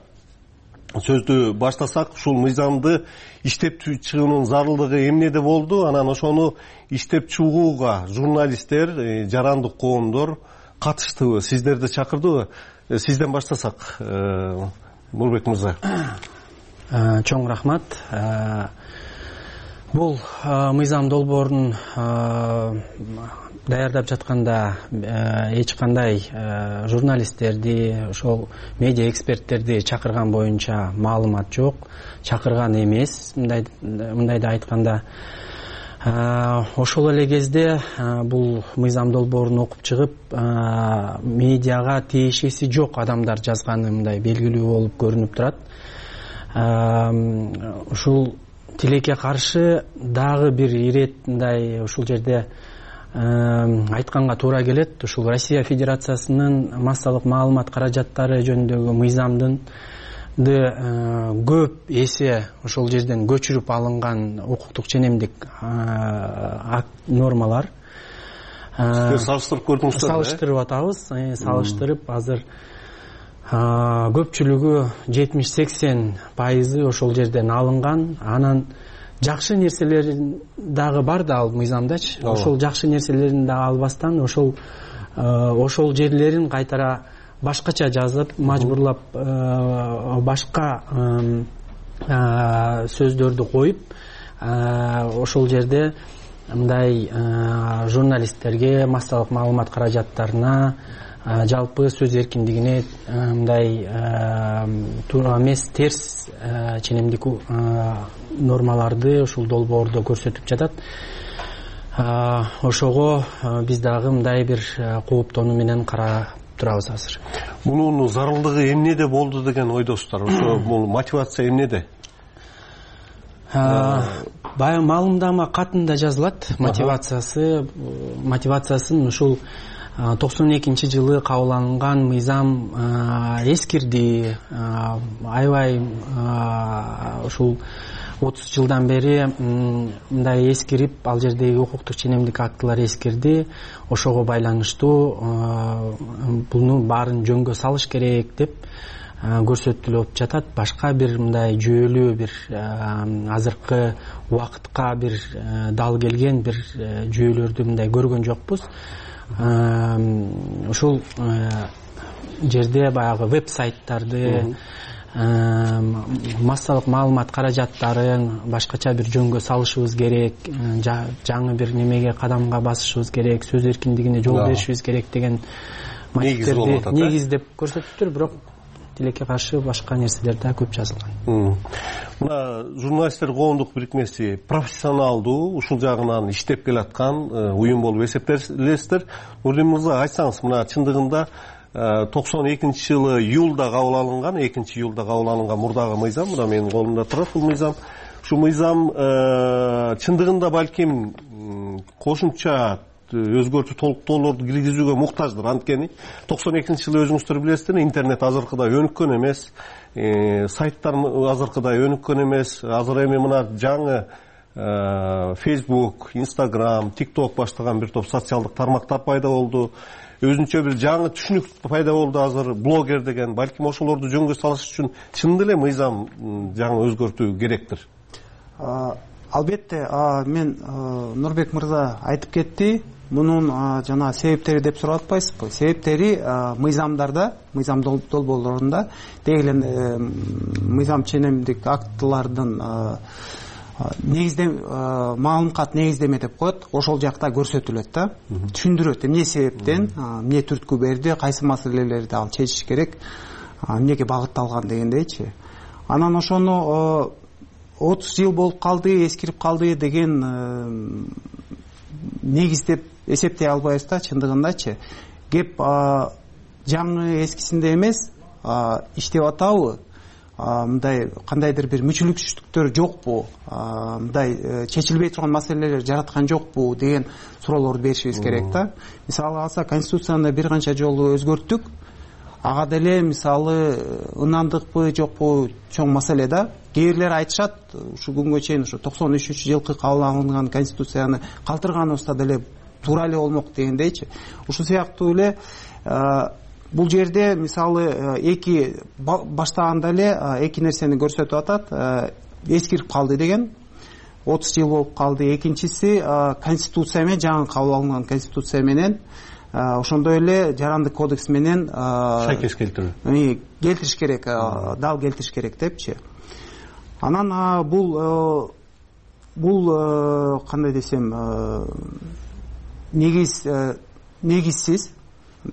сөздү баштасак, ушул мыйзамды иштеп чыгуунун зарылдыгы эмнеде болду? Анан ошону иштеп чыгууга журналисттер, жарандык коомдор катыштыбы? Сиздерди чакырдыбы? Сизден баштасак, Нурбек мырза. Чоң рахмат. Бул мыйзам долбоорун даярдап жатканда эч кандай журналисттерди, ошол медиа эксперттерди чакырган боюнча маалымат жок, чакырган эмес. Мындайда айтканда, ошол эле кезде бул мыйзам долбоорун окуп чыгып, медиага тиешеси жок адамдар жазганы мындай белгилүү болуп көрүнүп турат. Ушул тилекке каршы дагы бир ирет мындай ушул жерде айтканга туура келет. Ушул Россия Федерациясынын массалык маалымат каражаттары жөнүндөгү мыйзамдын көп эсе ошол жерден көчүрүп алынган укуктук ченемдик нормалар. Сиздер салыштырып көрдүңүздөр? Салыштырып атабыз. Салыштырып азыр көпчүлүгү 70-80% ошол жерден алынган. Анан жакшы нерселери дагы бар да ал мыйзамдачы. Ошол жакшы нерселерин да албастан ошол жерлерин кайтара башкача жазып, мажбурлап башка сөздөрдү коюп, ошол жерде мындай журналисттерге, массалык маалымат каражаттарына, жалпы сөз эркиндигине мындай туура эмес, терс ченемдик нормаларды ушул долбоордо көрсөтүп жатат. Ошого биз дагы мындай бир кооптонуу менен карап турабыз азыр. Мунун зарылдыгы эмнеде болду деген ойдосуздар? Ошо бул мотивация эмнеде? Баягы маалымдама катында жазылат. Мотивациясын ушул 92-жылы кабыл алынган мыйзам эскирди. Аябай ушул 30 жылдан бери мындай эскирип, ал жердеги укуктук ченемдик актылар эскирди. Ошого байланыштуу буну баарын жөнгө салыш керек деп көрсөтүлүп жатат. Башка бир мындай жүйөлүү бир азыркы убакытка бир дал келген бир жүйөлөрдү мындай көргөн жокпуз. Ушул жерде баягы веб-сайттарды, массалык маалымат каражаттарын башкача бир жөнгө салышыбыз керек, жаңы бир немеге кадамга басышыбыз керек, сөз эркиндигине жол беришибиз керек деген негиздеп көрсөтүптүр. Бирок тилекке каршы башка нерселер да көп жазылган. Мына журналисттер коомдук бирикмеси профессионалдуу ушул жагынан иштеп келаткан уюм болуп эсептелесиздер. Нурдин мырза, айтсаңыз, мына чындыгында 92-жылы июлда кабыл алынган, 2-июлда кабыл алынган мурдагы мыйзам, мына менин колумда турат бул мыйзам. Ушул мыйзам чындыгында балким кошумча өзгөртүү толуктоолорду киргизүүгө муктаждыр. Анткени 92-жылы өзүңүздөр билесиздер, интернет азыркыдай өнүккөн эмес, сайттар азыркыдай өнүккөн эмес. Азыр эми мына жаңы Facebook, Instagram, TikTok баштаган бир топ социалдык тармактар пайда болду. Өзүнчө бир жаңы түшүнүк пайда болду азыр, блогер деген. Балким ошолорду жөнгө салыш үчүн чын эле мыйзам жаңы өзгөртүү керектир. Албетте, мен Нурбек мырза айтып кетти. Мунун жана себептери деп сурап атпайсызбы? Себептери мыйзамдарда, мыйзам долбоорлорунда, деги эле мыйзам ченемдик актылардын маалымкат негиздеме деп коет, ошол жакта көрсөтүлөт да, түшүндүрөт эмне себептен, эмне түрткү берди, кайсы маселелерди ал чечиш керек, эмнеге багытталган дегендейчи. Анан ошону 30 жыл болуп калды, эскирип калды деген негиз деп эсептей албайбыз да, чындыгындачы. Кеп жаңы эскисинде эмес, иштеп атабы, мындай кандайдыр бир мүчүлүксүздүктөр жокпу, мындай чечилбей турган маселелер жараткан жокпу деген суроолорду беришибиз керек да. Мисалы алса, Конституцияны бир канча жолу өзгөрттүк. Ага деле мисалы ынандыкпы жокпу чоң маселе да. Кээ бирлер айтышат, ушу күнгө чейин ушу 93-жылкы кабыл алынган Конституцияны калтырганыбызда деле туура эле болмок дегендейчи. Ушул сыяктуу эле бул жерде мисалы эки баштаганда эле эки нерсени көрсөтүп атат. Эскирип калды деген, 30 жыл болуп калды. Экинчиси Конституция менен, жаңы кабыл алынган Конституция менен, ошондой эле Жарандык кодекс менен шайкес келтириш керек, дал келтириш керек депчи. Анан бул кандай десем, негизсиз,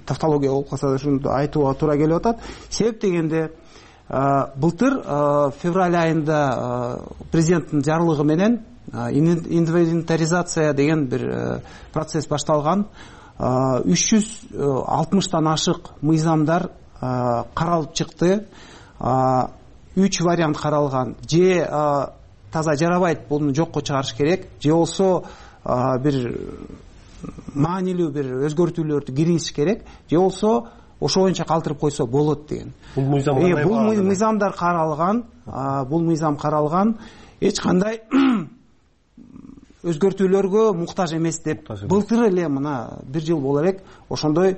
тавтология болуп калса да ушуну айтууга туура келип атат. Себеп дегенде былтыр февраль айында президенттин жарлыгы менен инвентаризация деген бир процесс башталган. 360-тан ашык мыйзамдар каралып чыкты. 3 вариант каралган. Же таза жарабайт, буну жокко чыгарыш керек, же болсо бир маанилүү бир өзгөртүүлөрдү киргизиш керек, же болсо ошо боюнча калтырып койсо болот деген. Бул мыйзамдар каралган, бул мыйзам каралган, эч кандай өзгөртүүлөргө муктаж эмес деп былтыр эле мына 1 жыл боло элек ошондой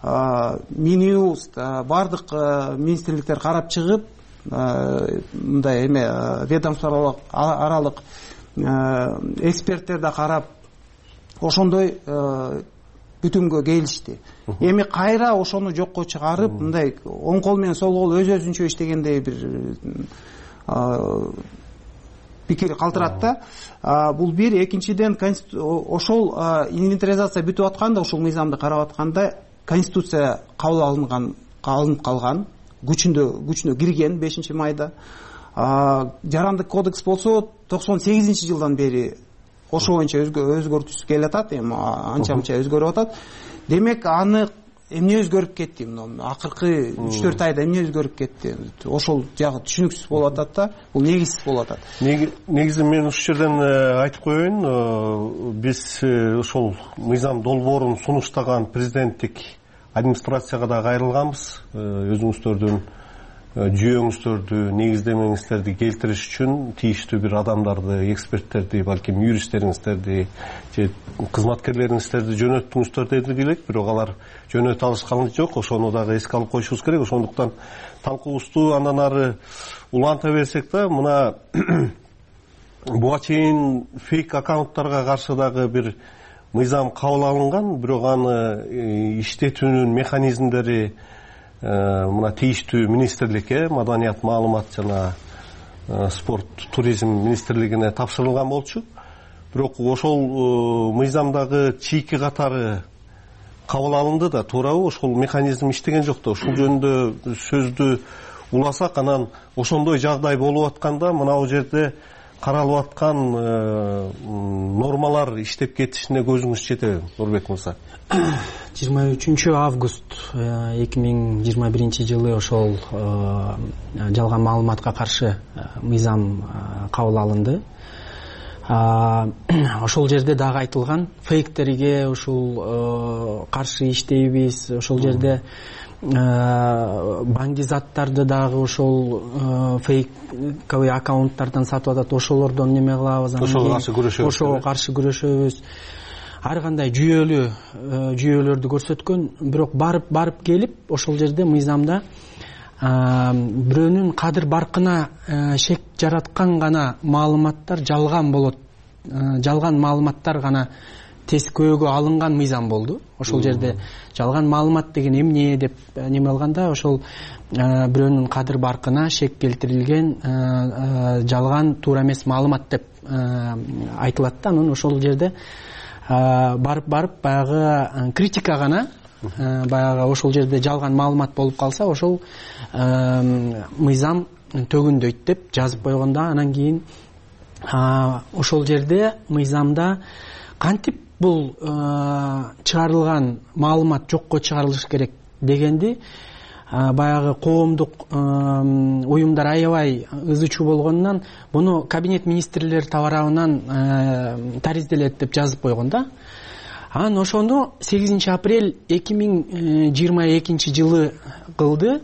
Минюст бардык министрликтер карап чыгып, мындай ведомство аралык эксперттер да карап ошондой бүтүмгө келишти. Эми кайра ошону жокко чыгарып, мындай оң кол менен сол кол өз-өзүнчө иштегендей бир пикир калтырат да. Бул бир. Экинчиден, ошол инвентаризация бүтүп атканда, ошол мыйзамды карап атканда Конституция кабыл алынып калган, күчүнө кирген 5 майда. Жарандык кодекс болсо 98-жылдан бери ошо боюнча өзгөртүүсүз келе атат, эми анча-мынча өзгөрүп атат. Демек, аны эмне өзгөрүп кетти? Акыркы 3-4 айда эмне өзгөрүп кетти? Ошол жагы түшүнүксүз болуп атат да, бул негизсиз болуп атат. Негизи мен ушул жерден айтып коеюн, биз ошол мыйзам долбоорун сунуштаган президенттик администрацияга да кайрылганбыз. Өзүңүздөрдүн жүйөңүздөрдү, негиздемеңиздерди келтириш үчүн тийиштүү бир адамдарды, эксперттерди, балким юристтериңиздерди же кызматкерлериңиздерди жөнөттүңүздөр дедик элек, бирок алар жөнөтө алышканы жок. Ошону дагы эске алып коюшубуз керек. Ошондуктан талкуубузду андан ары уланта берсек да, мына буга чейин фейк аккаунттарга каршы дагы бир мыйзам кабыл алынган, бирок аны иштетүүнүн механизмдери мына тийиштүү министрликке, маданият, маалымат жана спорт, туризм министрлигине тапшырылган болчу. Бирок ошол мыйзамдагы чийки катары кабыл алынды да, туурабы? Ошол механизм иштеген жок да. Ушул жөнүндө сөздү уласак, анан ошондой жагдай болуп атканда мына бул жерде каралып аткан нормалар иштеп кетишине көзүңүз жетеби, Нурбек мырза? 23 август 2021 жылы ошол жалган маалыматка каршы мыйзам кабыл алынды. Ошол жерде дагы айтылган фейктерге ушул каршы иштейбиз, ошол жерде баңгизаттарды дагы ошол фейковый аккаунттардан сатып атат, ошолордон неме кылабыз, ошого каршы күрөшөбүз. Ар кандай жүйөлөрдү көрсөткөн, бирок барып келип ошол жерде мыйзамда бирөөнүн кадыр баркына шек жараткан гана маалыматтар жалган болот, жалган маалыматтар гана тескөөгө алынган мыйзам болду. Ошол жерде жалган маалымат деген эмне деп неме алганда, ошол бирөөнүн кадыр баркына шек келтирилген жалган туура эмес маалымат деп айтылат да. Анан ошол жерде барып баягы критика гана, баягы ошол жерде жалган маалымат болуп калса, ошол мыйзам төгүндөйт деп жазып койгондо, анан кийин ошол жерде мыйзамда кантип бул чыгарылган маалымат жокко чыгарылыш керек дегенди баягы коомдук уюмдар аябай ызы чуу болгондон буну кабинет министрлер тарабынан таризделет деп жазып койгон да. Анан ошону 8 апрель 2022 жылы кылды.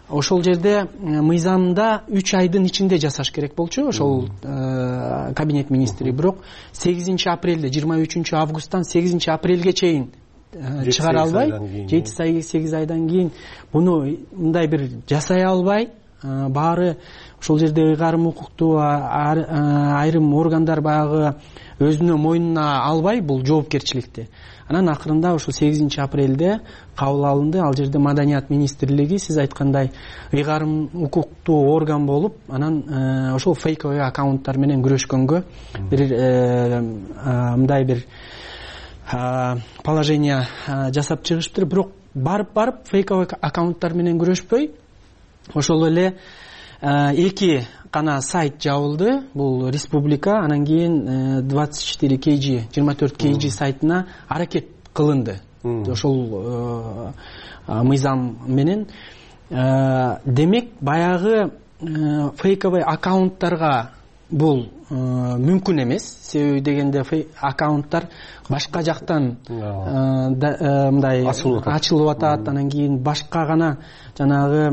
Ошол жерде мыйзамда 3 айдын ичинде жасаш керек болчу ошол кабинет министри, бирок 8 апрелде 23 августтан 8 апрелге чейин чыгара албай, 7-8 айдан кийин буну мындай бир жасай албай, баары ошол жерде ыйгарым укуктуу айрым органдар баягы өзүнө мойнуна албай бул жоопкерчиликти. Анан акырында ошол 8 апрелде кабыл алынды. Ал жерде Маданият министрлиги сиз айткандай ыйгарым укуктуу орган болуп, анан ошол фейковый аккаунттар менен күрөшкөнгө бир мындай бир положение жасап чыгышыптыр. Бирок барып фейковый аккаунттар менен күрөшпөй, ошол эле 2 гана сайт жабылды. Бул республика, анан кийин 24 kg 24 kg сайтына аракет кылынды. Ошол мыйзам менен демек баягы фейковый аккаунттарга бул мүмкүн эмес. Себеби дегенде аккаунттар башка жактан мындай ачылып атат, анан кийин башка гана жанагы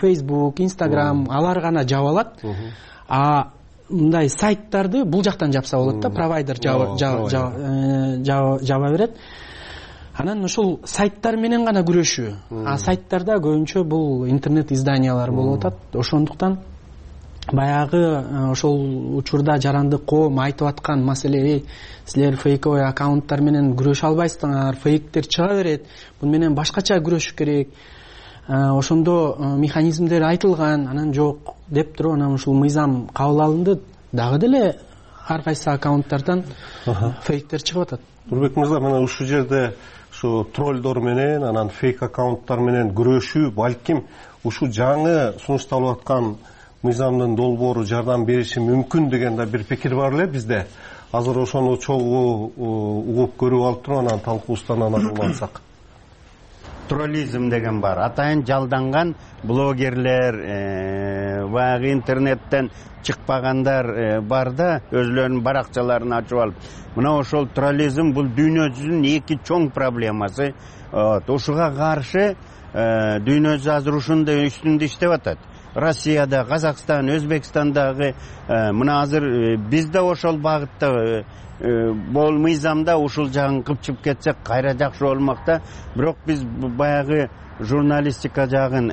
Facebook, Instagram алар гана жаба алат. Мындай сайттарды бул жактан жапса болот да, провайдер жаба берет. Анан ошол сайттар менен гана күрөшүү. Сайттарда көбүнчө бул интернет изданиялар болуп атат. Ошондуктан баягы ошол учурда жарандык коом айтып аткан маселе, силер фейковый аккаунттар менен күрөшө албайсыңар, фейктер чыга берет, буну менен башкача күрөшүш керек. Ошондо механизмдер айтылган, анан жок деп туруп, анан ушул мыйзам кабыл алынды. Дагы деле ар кайсы аккаунттардан фейктер чыгып атат. Нурбек мырза, мына ушул жерде ушу троллдор менен, анан фейк аккаунттар менен күрөшүү балким ушу жаңы сунушталып аткан мыйзамдын долбоору жардам бериши мүмкүн деген да бир пикир бар эле бизде. Азыр ошону чогуу угуп көрүп алып туруп, анан талкуубуздан анан улантсак. Троллизм деген бар. Атайын жалданган блогерлер, баягы интернеттен чыкпагандар бар да, өзлөрүнүн баракчаларын ачып алып. Мына ошол троллизм бул дүйнө жүзүнүн эки чоң проблемасы. Ушуга каршы дүйнө жүзү азыр ушундай үстүндө иштеп атат. Россияда, Казакстан, Өзбекстандагы мына азыр биз да ошол багытта бул мыйзамда ушул жагын кыпчып кетсек кайра жакшы болмок да. Бирок биз баягы журналистика жагын,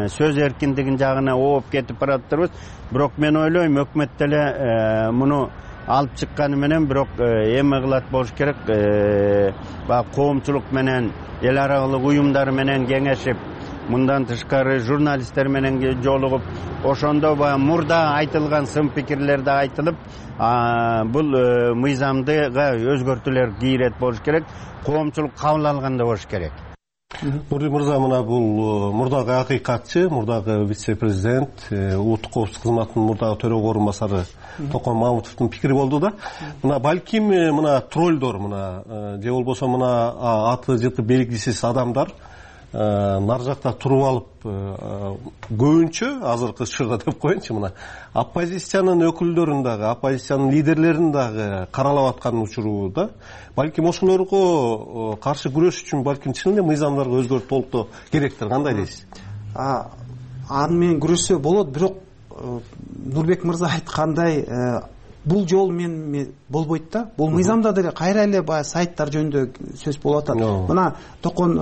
сөз эркиндигин жагына ооп кетип баратырбыз. Бирок мен ойлойм, өкмөт деле муну алып чыкканы менен бирок эме кылат болуш керек. Баягы коомчулук менен, эл аралык уюмдар менен кеңешип, мындан тышкары журналисттер менен жолугуп, ошондо баягы мурда айтылган сын пикирлер да айтылып, бул мыйзамдыга өзгөртүүлөр кийрет болуш керек, коомчулук кабыл алганда болуш керек. Нури мырза, мына бул мурдагы акыйкатчы, мурдагы вице-президент, улуттук коопсуздук кызматынын мурдагы төрөгө орун басары Токон Мамутовдун пикири болду да. Мына балким мына троллдор, мына же болбосо мына аты жыты белгисиз адамдар нар жакта туруп алып, көбүнчө азыркы учурда деп коеюнчу, мына оппозициянын өкүлдөрүн дагы, оппозициянын лидерлерин дагы каралап аткан учуру да. Балким ошолорго каршы күрөш үчүн балким чын эле мыйзамдарга өзгөртүү толуктоо керектир. Кандай дейсиз? Аны менен күрөшсө болот, бирок Нурбек мырза айткандай, бул жол менен болбойт да. Бул мыйзамда деле кайра эле баягы сайттар жөнүндө сөз болуп атат. Мына Токон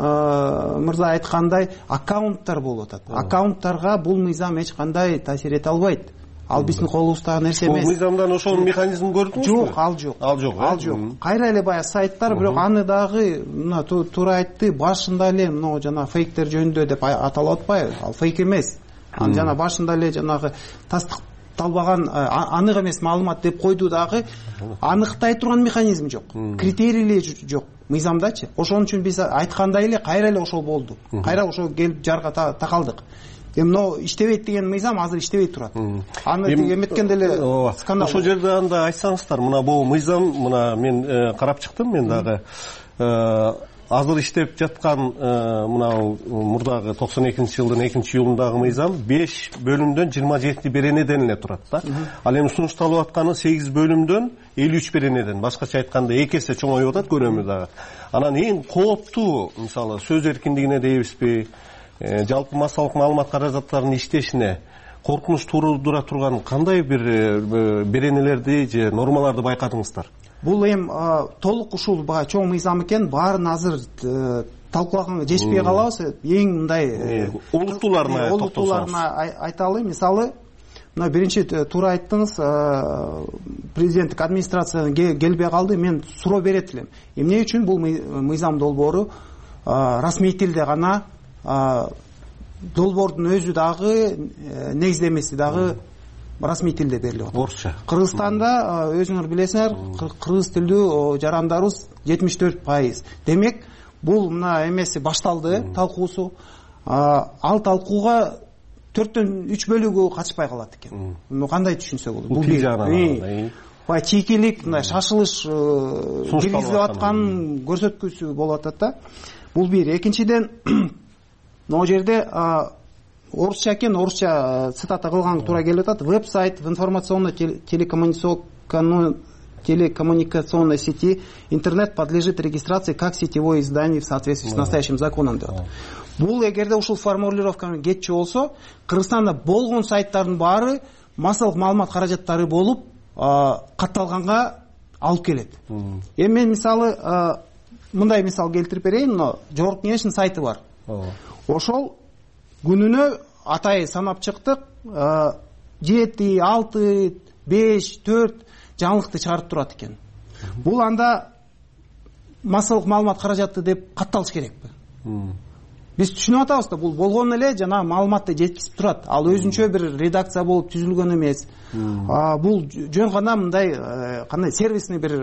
мырза айткандай, аккаунттар болуп атат. Аккаунттарга бул мыйзам эч кандай таасир эте албайт. Ал биздин колубуздагы нерсе эмес. Бул мыйзамдан ошол механизмин көрдүңүзбү? Жок, ал жок. Ал жок. Ал жок. Кайра эле баягы сайттар, бирок аны дагы мына туура айтты, башында эле мына жана фейктер жөнүндө деп аталып атпайбы? Ал фейк эмес. Аны жана башында эле жанагы тастыкталбаган анык эмес маалымат деп койду дагы, аныктай турган механизм жок. Критерийлери жок мыйзамдачы. Ошон үчүн биз айткандай эле кайра эле ошол болду. Кайра ошол келип жарга такалдык. Эми иштебейт деген мыйзам азыр иштебей турат. Аны эметкенде эле скандал. Ошол жерде анда айтсаңыздар, мына бул мыйзам, мына мен карап чыктым, мен дагы азыр иштеп жаткан мына мурдагы 92-жылдын 2-июлундагы мыйзам 5 бөлүмдөн 27 беренеден эле турат да. Ал эми сунушталып атканы 8 бөлүмдөн 53 беренеден. Башкача айтканда 2 эсе чоңоюп атат, көрөмүз дагы. Анан эң кооптуу, мисалы, сөз эркиндигине дейбизби, жалпы массалык маалымат каражаттарынын иштешине коркунуч туудура турган кандай бир беренелерди же нормаларды байкадыңыздар? Бул эми толук ушул баягы чоң мыйзам экен, баарын азыр талкуулаганга жетишпей калабыз. Эң мындай олуттууларына айталы. Мисалы, мына биринчи туура айттыңыз, президенттик администрациядан келбей калды. Мен суроо берет элем. Эмне үчүн бул мыйзам долбоору расмий тилде гана, долбоордун өзү дагы, негиздемеси дагы расмий тилде берилип атат. Орусча. Кыргызстанда өзүңөр билесиңер, кыргыз тилдүү жарандарыбыз 74%. Демек, бул мына эмеси башталды, талкуусу. Ал талкууга 4-төн 3 бөлүгү катышпай калат экен. Кандай түшүнсө болот? Бул бир баягы чийкилик, мындай шашылыш киргизилип аткан көрсөткүчү болуп атат да. Бул бир. Экинчиден, могу жерде орусча экен, орусча цитата кылганга туура келип атат. Веб-сайт в информационно-телекоммуникационной сети интернет подлежит регистрации как сетевое издание в соответствии с настоящим законом деп атат. Бул эгерде ушул формулировка менен кетчү болсо, Кыргызстанда болгон сайттардын баары массалык маалымат каражаттары болуп катталганга алып келет. Эми мен мисалы мындай мисал келтирип берейин. Мына Жогорку Кеңештин сайты бар. Ошол күнүнө атай санап чыктык, 7, 6, 5, 4 жаңылыкты чыгарып турат экен. Бул анда массалык маалымат каражаты деп катталыш керекпи? Биз түшүнүп атабыз да, бул болгон эле жана маалыматты жеткизип турат. Ал өзүнчө бир редакция болуп түзүлгөн эмес. Бул жөн гана мындай кандай сервисный бир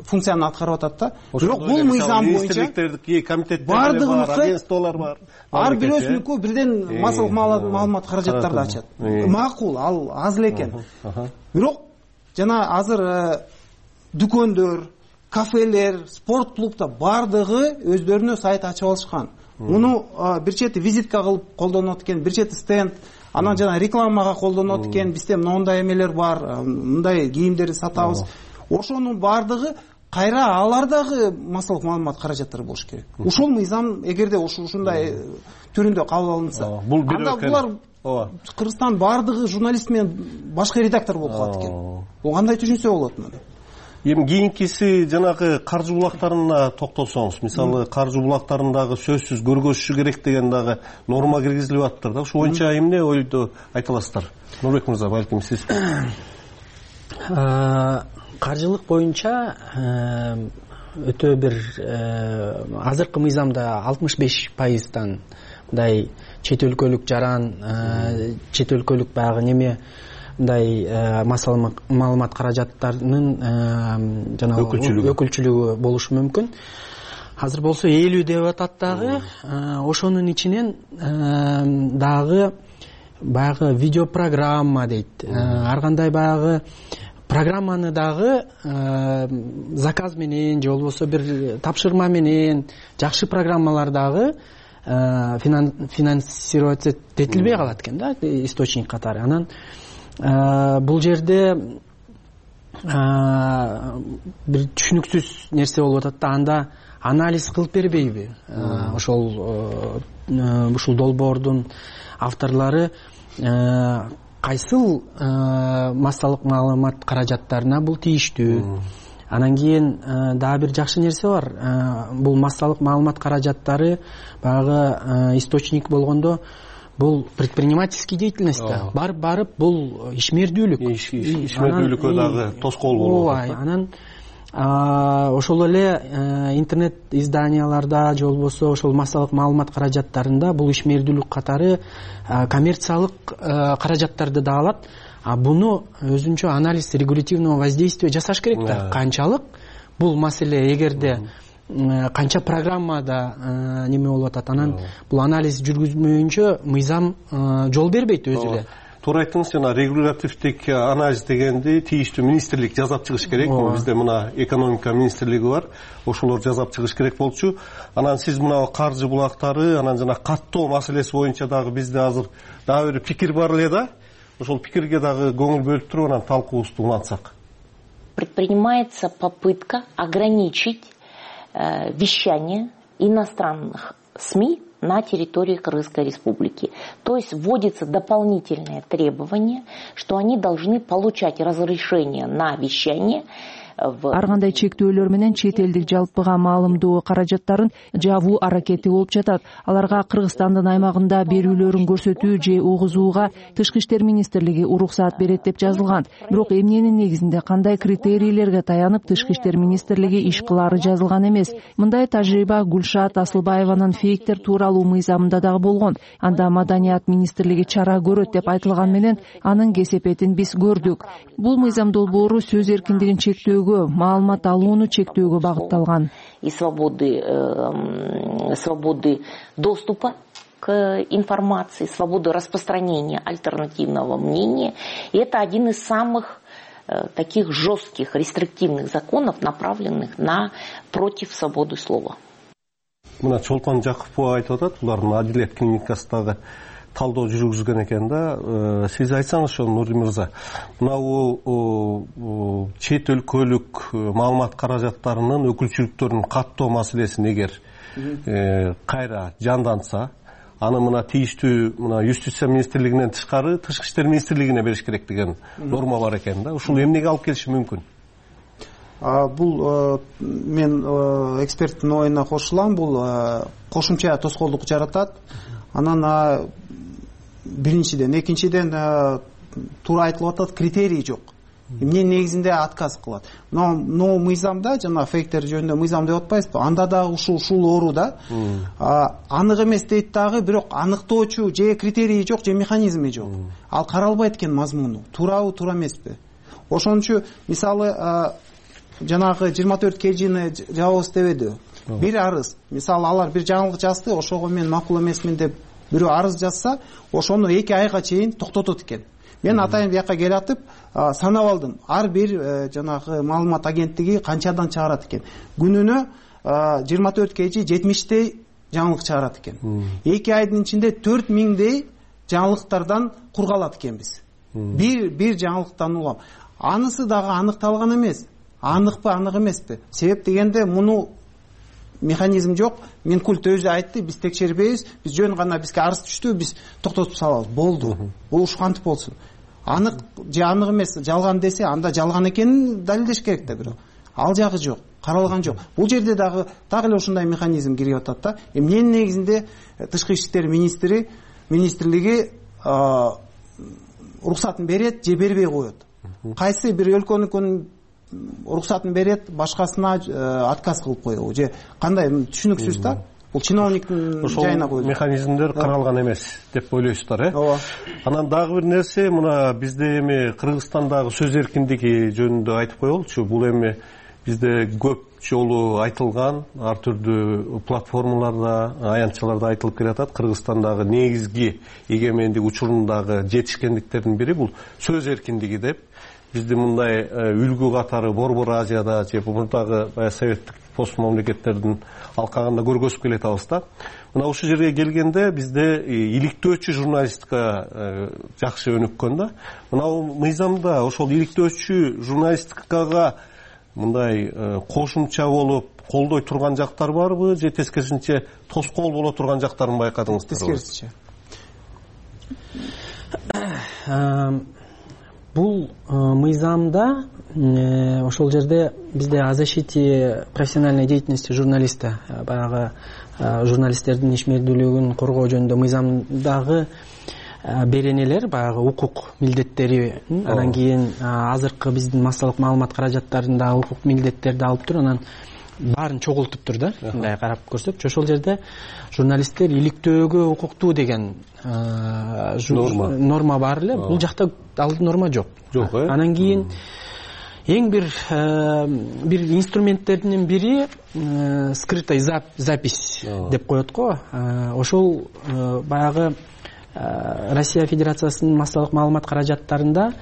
функцияны аткарып атат да. Бирок бул мыйзам боюнча комитеттер бар, агентстволор бар. Ар бирөөсүнүкү бирден массалык маалымат каражаттарды ачат. Макул, ал аз эле экен. Бирок жана азыр дүкөндөр, кафелер, спорт клубда бардыгы өздөрүнө сайт ачып алышкан. Муну бир чети визитка кылып колдонот экен, бир чети стенд, анан жана рекламага колдонот экен. Бизде мындай эмелер бар, мындай кийимдерди сатабыз. Ошонун бардыгы кайра алардагы массалык маалымат каражаттары болуш керек. Ушул мыйзам эгерде ушундай түрүндө кабыл алынса, анда булар Кыргызстан бардыгы журналист менен башкы редактор болуп калат экен. Бул кандай түшүнсө болот муну? Эми кийинкиси жанагы каржы булактарына токтолсоңуз, мисалы каржы булактарындагы сөзсүз көргөзүшү керек деген дагы норма киргизилип аттыр да. Ошол боюнча эмне ойду айта аласыздар? Нурбек мырза, балким сиз. Каржылык боюнча өтө бир азыркы мыйзамда 65%дан мындай чет өлкөлүк жаран, чет өлкөлүк баягы неме мындай маалымат каражаттарынын жана өкүлчүлүгү болушу мүмкүн. азыр болсо 50 деп атат дагы. Ошонун ичинен дагы баягы видеопрограмма дейт. Ар кандай баягы программаны дагы заказ менен же болбосо бир тапшырма менен жакшы программалар дагы финансироваться этилбей калат экен да, источник катары. Анан бул жерде бир түшүнүксүз нерсе болуп атат да, анда анализ кылып бербейби ушул долбоордун авторлору кайсыл массалык маалымат каражаттарына бул тийиштүү. Анан кийин дагы бир жакшы нерсе бар. Бул массалык маалымат каражаттары баягы источник болгондо бул предпринимательский деятельность да. Барып бул ишмердүүлүк. Ишмердүүлүккө дагы тоскоол болуп атат. Анан ошол эле интернет изданияларда же болбосо ошол массалык маалымат каражаттарында бул ишмердүүлүк катары коммерциялык каражаттарды да алат. Буну өзүнчө анализ регулятивного воздействия жасаш керек да. Канчалык бул маселе эгерде канча программада неме болуп атат, анан бул анализ жүргүзмөйүнчө мыйзам жол бербейт өзү эле. Туура айттыңыз, жана регулятивдик анализ дегенди тийиштүү министрлик жасап чыгыш керек. Бизде мына экономика министрлиги бар, ошолор жасап чыгыш керек болчу. Анан сиз мына каржы булактары, анан жана каттоо маселеси боюнча дагы бизде азыр дагы бир пикир бар эле да. Ошол пикирге дагы көңүл бөлүп туруп анан талкуубузду улантсак. Предпринимается попытка ограничить вещание иностранных СМИ на территории Кыргызской Республики. То есть вводится дополнительное требование, что они должны получать разрешение на вещание. Ар кандай чектөөлөр менен чет элдик жалпыга маалымдоо каражаттарын жабуу аракети болуп жатат. Аларга Кыргызстандын аймагында берүүлөрүн көрсөтүү же угузууга Тышкы иштер министрлиги уруксаат берет деп жазылган. Бирок эмненин негизинде кандай критерийлерге таянып Тышкы иштер министрлиги иш кылаары жазылган эмес. Мындай тажрыйба Гүлшат Асылбаеванын фейктер тууралуу мыйзамында дагы болгон. Анда Маданият министрлиги чара көрөт деп айтылган менен анын кесепетин биз көрдүк. Бул мыйзам долбоору сөз эркиндигин чектөөгө, маалымат алууну чектөөгө багытталган. И свободы доступа к информации, свободы распространения альтернативного мнения. И это один из самых таких жестких, рестриктивных законов, направленных против свободы слова. Мына Чолпон Жакупова айтып атат, булардын Адилет клиникасындагы талдоо жүргүзгөн экен да. Сиз айтсаңыз ошо, Нури мырза, мына чет өлкөлүк маалымат каражаттарынын өкүлчүлүктөрүнүн каттоо маселесин эгер кайра жандантса, аны мына тийиштүү мына Юстиция министрлигинен тышкары Тышкы иштер министрлигине бериш керек деген норма бар экен да. Ушул эмнеге алып келиши мүмкүн? Бул мен эксперттин оюна кошулам. Бул кошумча тоскоолдук жаратат. Анан биринчиден, экинчиден туура айтылып атат, критерий жок. Эмне негизинде отказ кылат. Но мыйзамда, жана фейктер жөнүндө мыйзам деп атпайсызбы? Анда да ушул оору да. Анык эмес дейт дагы, бирок аныктоочу же критерии жок, же механизми жок. Ал каралбайт экен мазмуну. Туурабы, туура эмеспи? Ошон үчүн мисалы жанагы 24 KG'ни жабабыз дебеди. Бир арыз, мисалы алар бир жаңылык жазды, ошого мен макул эмесмин деп бирөө арыз жазса, ошону 2 айга чейин токтотот экен. Мен атайын бияка келатып санап алдым. Ар бир жанагы маалымат агенттиги канчадан чыгарат экен. Күнүнө 24 KG 70дей жаңылык чыгарат экен. 2 айдын ичинде 4000дей жаңылыктардан кургалат экенбиз. Бир жаңылыктан улам. Анысы дагы аныкталган эмес. Аныкпы, анык эмеспи? Себеп дегенде муну механизм жок. Минкульт өзү айтты, биз текшербейбиз, биз жөн гана бизге арыз түштү, биз токтотуп салабыз. Болду. Бул ушкантип болсун. Анык же анык эмес, жалган десе, анда жалган экенин далилдеш керек да, бирок ал жагы жок, каралган жок. Бул жерде дагы эле ушундай механизм кирип атат да. Эмненин негизинде Тышкы иштер министрлиги уруксатын берет же бербей коет. Кайсы бир өлкөнүн уруксатын берет, башкасына отказ кылып коебу же кандай, түшүнүксүз да. Бул чиновниктин жайына коюлат. Механизмдер каралган эмес деп ойлойсуздар, Ооба. Анан дагы бир нерсе, мына бизде эми Кыргызстандагы сөз эркиндиги жөнүндө айтып коелучу. Бул эми бизде көп жолу айтылган, ар түрдүү платформаларда, аянтчаларда айтылып келатат. Кыргызстандагы негизги эгемендик учурундагы жетишкендиктердин бири бул сөз эркиндиги деп. Бизди мындай үлгү катары Борбор Азияда же мурдагы советтик пост мамлекеттердин алкагында көргөзүп келатабыз да. Мына ушул жерге келгенде бизде иликтөөчү журналистика жакшы өнүккөн да. Мына мыйзамда ошол иликтөөчү журналистикага мындай кошумча болуп колдой турган жактар барбы же тескерисинче тоскоол боло турган жактарын байкадыңызбы? Тескерисинче. Бул мыйзамда ошол жерде бизде о защите профессиональной деятельности журналиста, баягы журналисттердин ишмердүүлүгүн коргоо жөнүндө мыйзамдагы беренелер, баягы укук милдеттери, анан кийин азыркы биздин массалык маалымат каражаттарындагы укук милдеттерди алып туруп, анан баарын чогултуптур да, мындай карап көрсөкчү. Ошол жерде журналисттер иликтөөгө укуктуу деген норма бар эле. Бул жакта ал норма жок. Анан кийин эң бир инструменттердин бири скрытая запись деп коет го. Ошол баягы Россия Федерациясынын массалык маалымат каражаттарында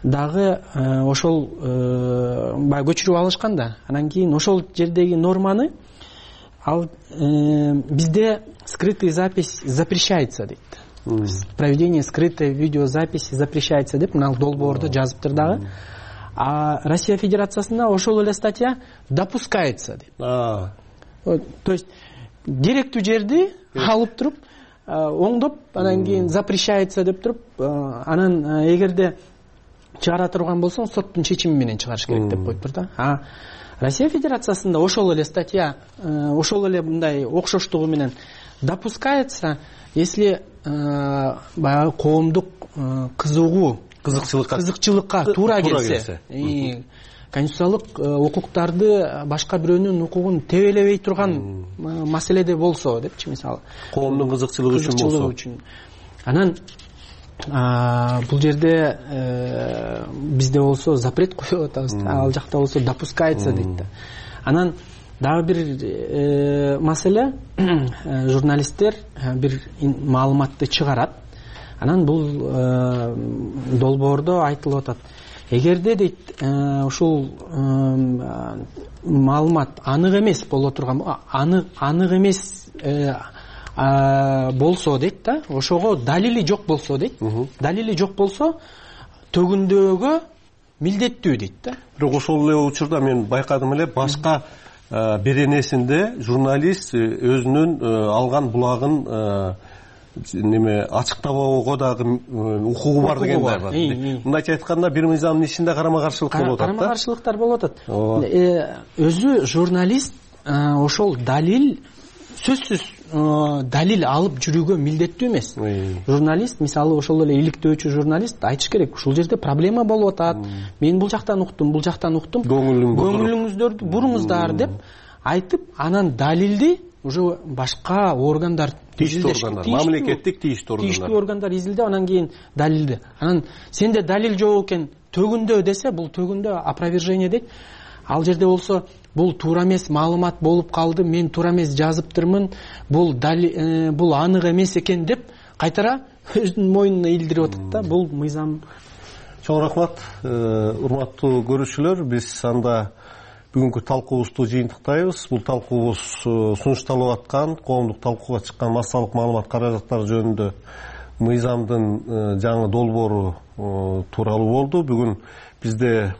дагы ошол баягы көчүрүп алышкан да. Анан кийин ошол жердеги норманы ал бизде скрытая запись запрещается дейт. Проведение скрытой видеозаписи запрещается деп мына долбоордо жазыптыр дагы. А Россия Федерациясында ошол эле статья допускается дейт. То есть керектүү жерди алып туруп оңдоп, анан кийин запрещается деп туруп, анан эгерде чыгара турган болсоң соттун чечими менен чыгарыш керек деп коюптур да. А Россия Федерациясында ошол эле статья, ошол эле мындай окшоштугу менен допускается, если баягы коомдук кызыкчылыкка туура келсе, конституциялык укуктарды башка бирөөнүн укугун тебелебей турган маселеде болсо депчи, мисалы коомдун кызыкчылыгы үчүн. Анан бул жерде бизде болсо запрет коюп атабыз, ал жакта болсо допускается дейт да. Анан дагы бир маселе, журналисттер бир маалыматты чыгарат. Анан бул долбоордо айтылып атат. Эгерде дейт ушул маалымат анык эмес боло турган, анык эмес болсо дейт да, ошого далили жок болсо дейт. Далили жок болсо төгүндөөгө милдеттүү дейт да. Бирок ошол эле учурда мен байкадым эле, башка беренесинде журналист өзүнүн алган булагын ачыктабоого дагы укугу бар деген бар. Мындайча айтканда бир мыйзамдын ичинде карама каршылык болуп атат да. Карама каршылыктар болуп атат. Өзү журналист ошол далил, сөзсүз далил алып жүрүүгө милдеттүү эмес. Журналист, мисалы ошол эле иликтөөчү журналист айтыш керек, ушул жерде проблема болуп атат, мен бул жактан уктум, көңүлүңүздөрдү буруңуздар деп айтып, анан далилди уже башка органдар, мамлекеттик тийиштүү органдар изилдеп, анан кийин далилди. Анан сенде далил жок экен, төгүндө десе, бул төгүндө опровержение дейт. Ал жерде болсо бул туура эмес маалымат болуп калды, мен туура эмес жазыптырмын, бул анык эмес экен деп кайтара өзүнүн мойнуна илдирип атат да. Бул мыйзам. Чоң рахмат, урматтуу көрүүчүлөр. Биз анда бүгүнкү талкуубузду жыйынтыктайбыз. Бул талкуубуз сунушталып аткан, коомдук талкууга чыккан массалык маалымат каражаттары жөнүндө мыйзамдын жаңы долбоору тууралуу болду. Бүгүн бизде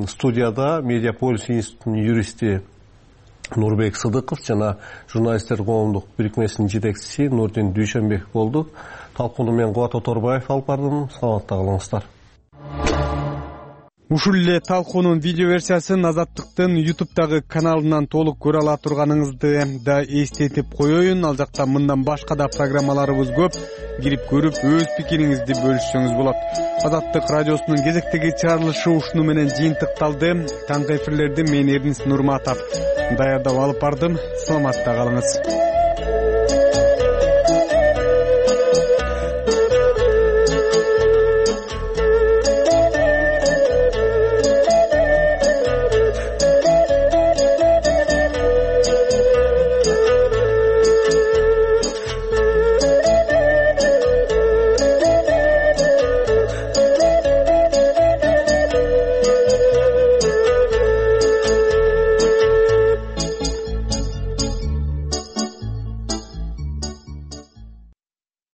студияда Медиаполис институтунун юристи Нурбек Сыдыков жана журналисттер коомдук бирикмесинин жетекчиси Нурдин Дүйшөнбеков болду. Талкууну мен Кубат Оторбаев алып бардым. Саламатта калыңыздар. Ушул эле талкуунун видео версиясын Азаттыктын YouTube'дагы каналынан толук көрө ала турганыңызды да эстетип коеюн. Ал жакта мындан башка да программаларыбыз көп. Кирип көрүп, өз пикириңизди бөлүшсөңүз болот. Азаттык радиосунун кезектеги чыгарылышы ушуну менен жыйынтыкталды. Таңкы эфирлерди мен Эрдинс Нурматов даярдап алып бардым. Саламатта калыңыз.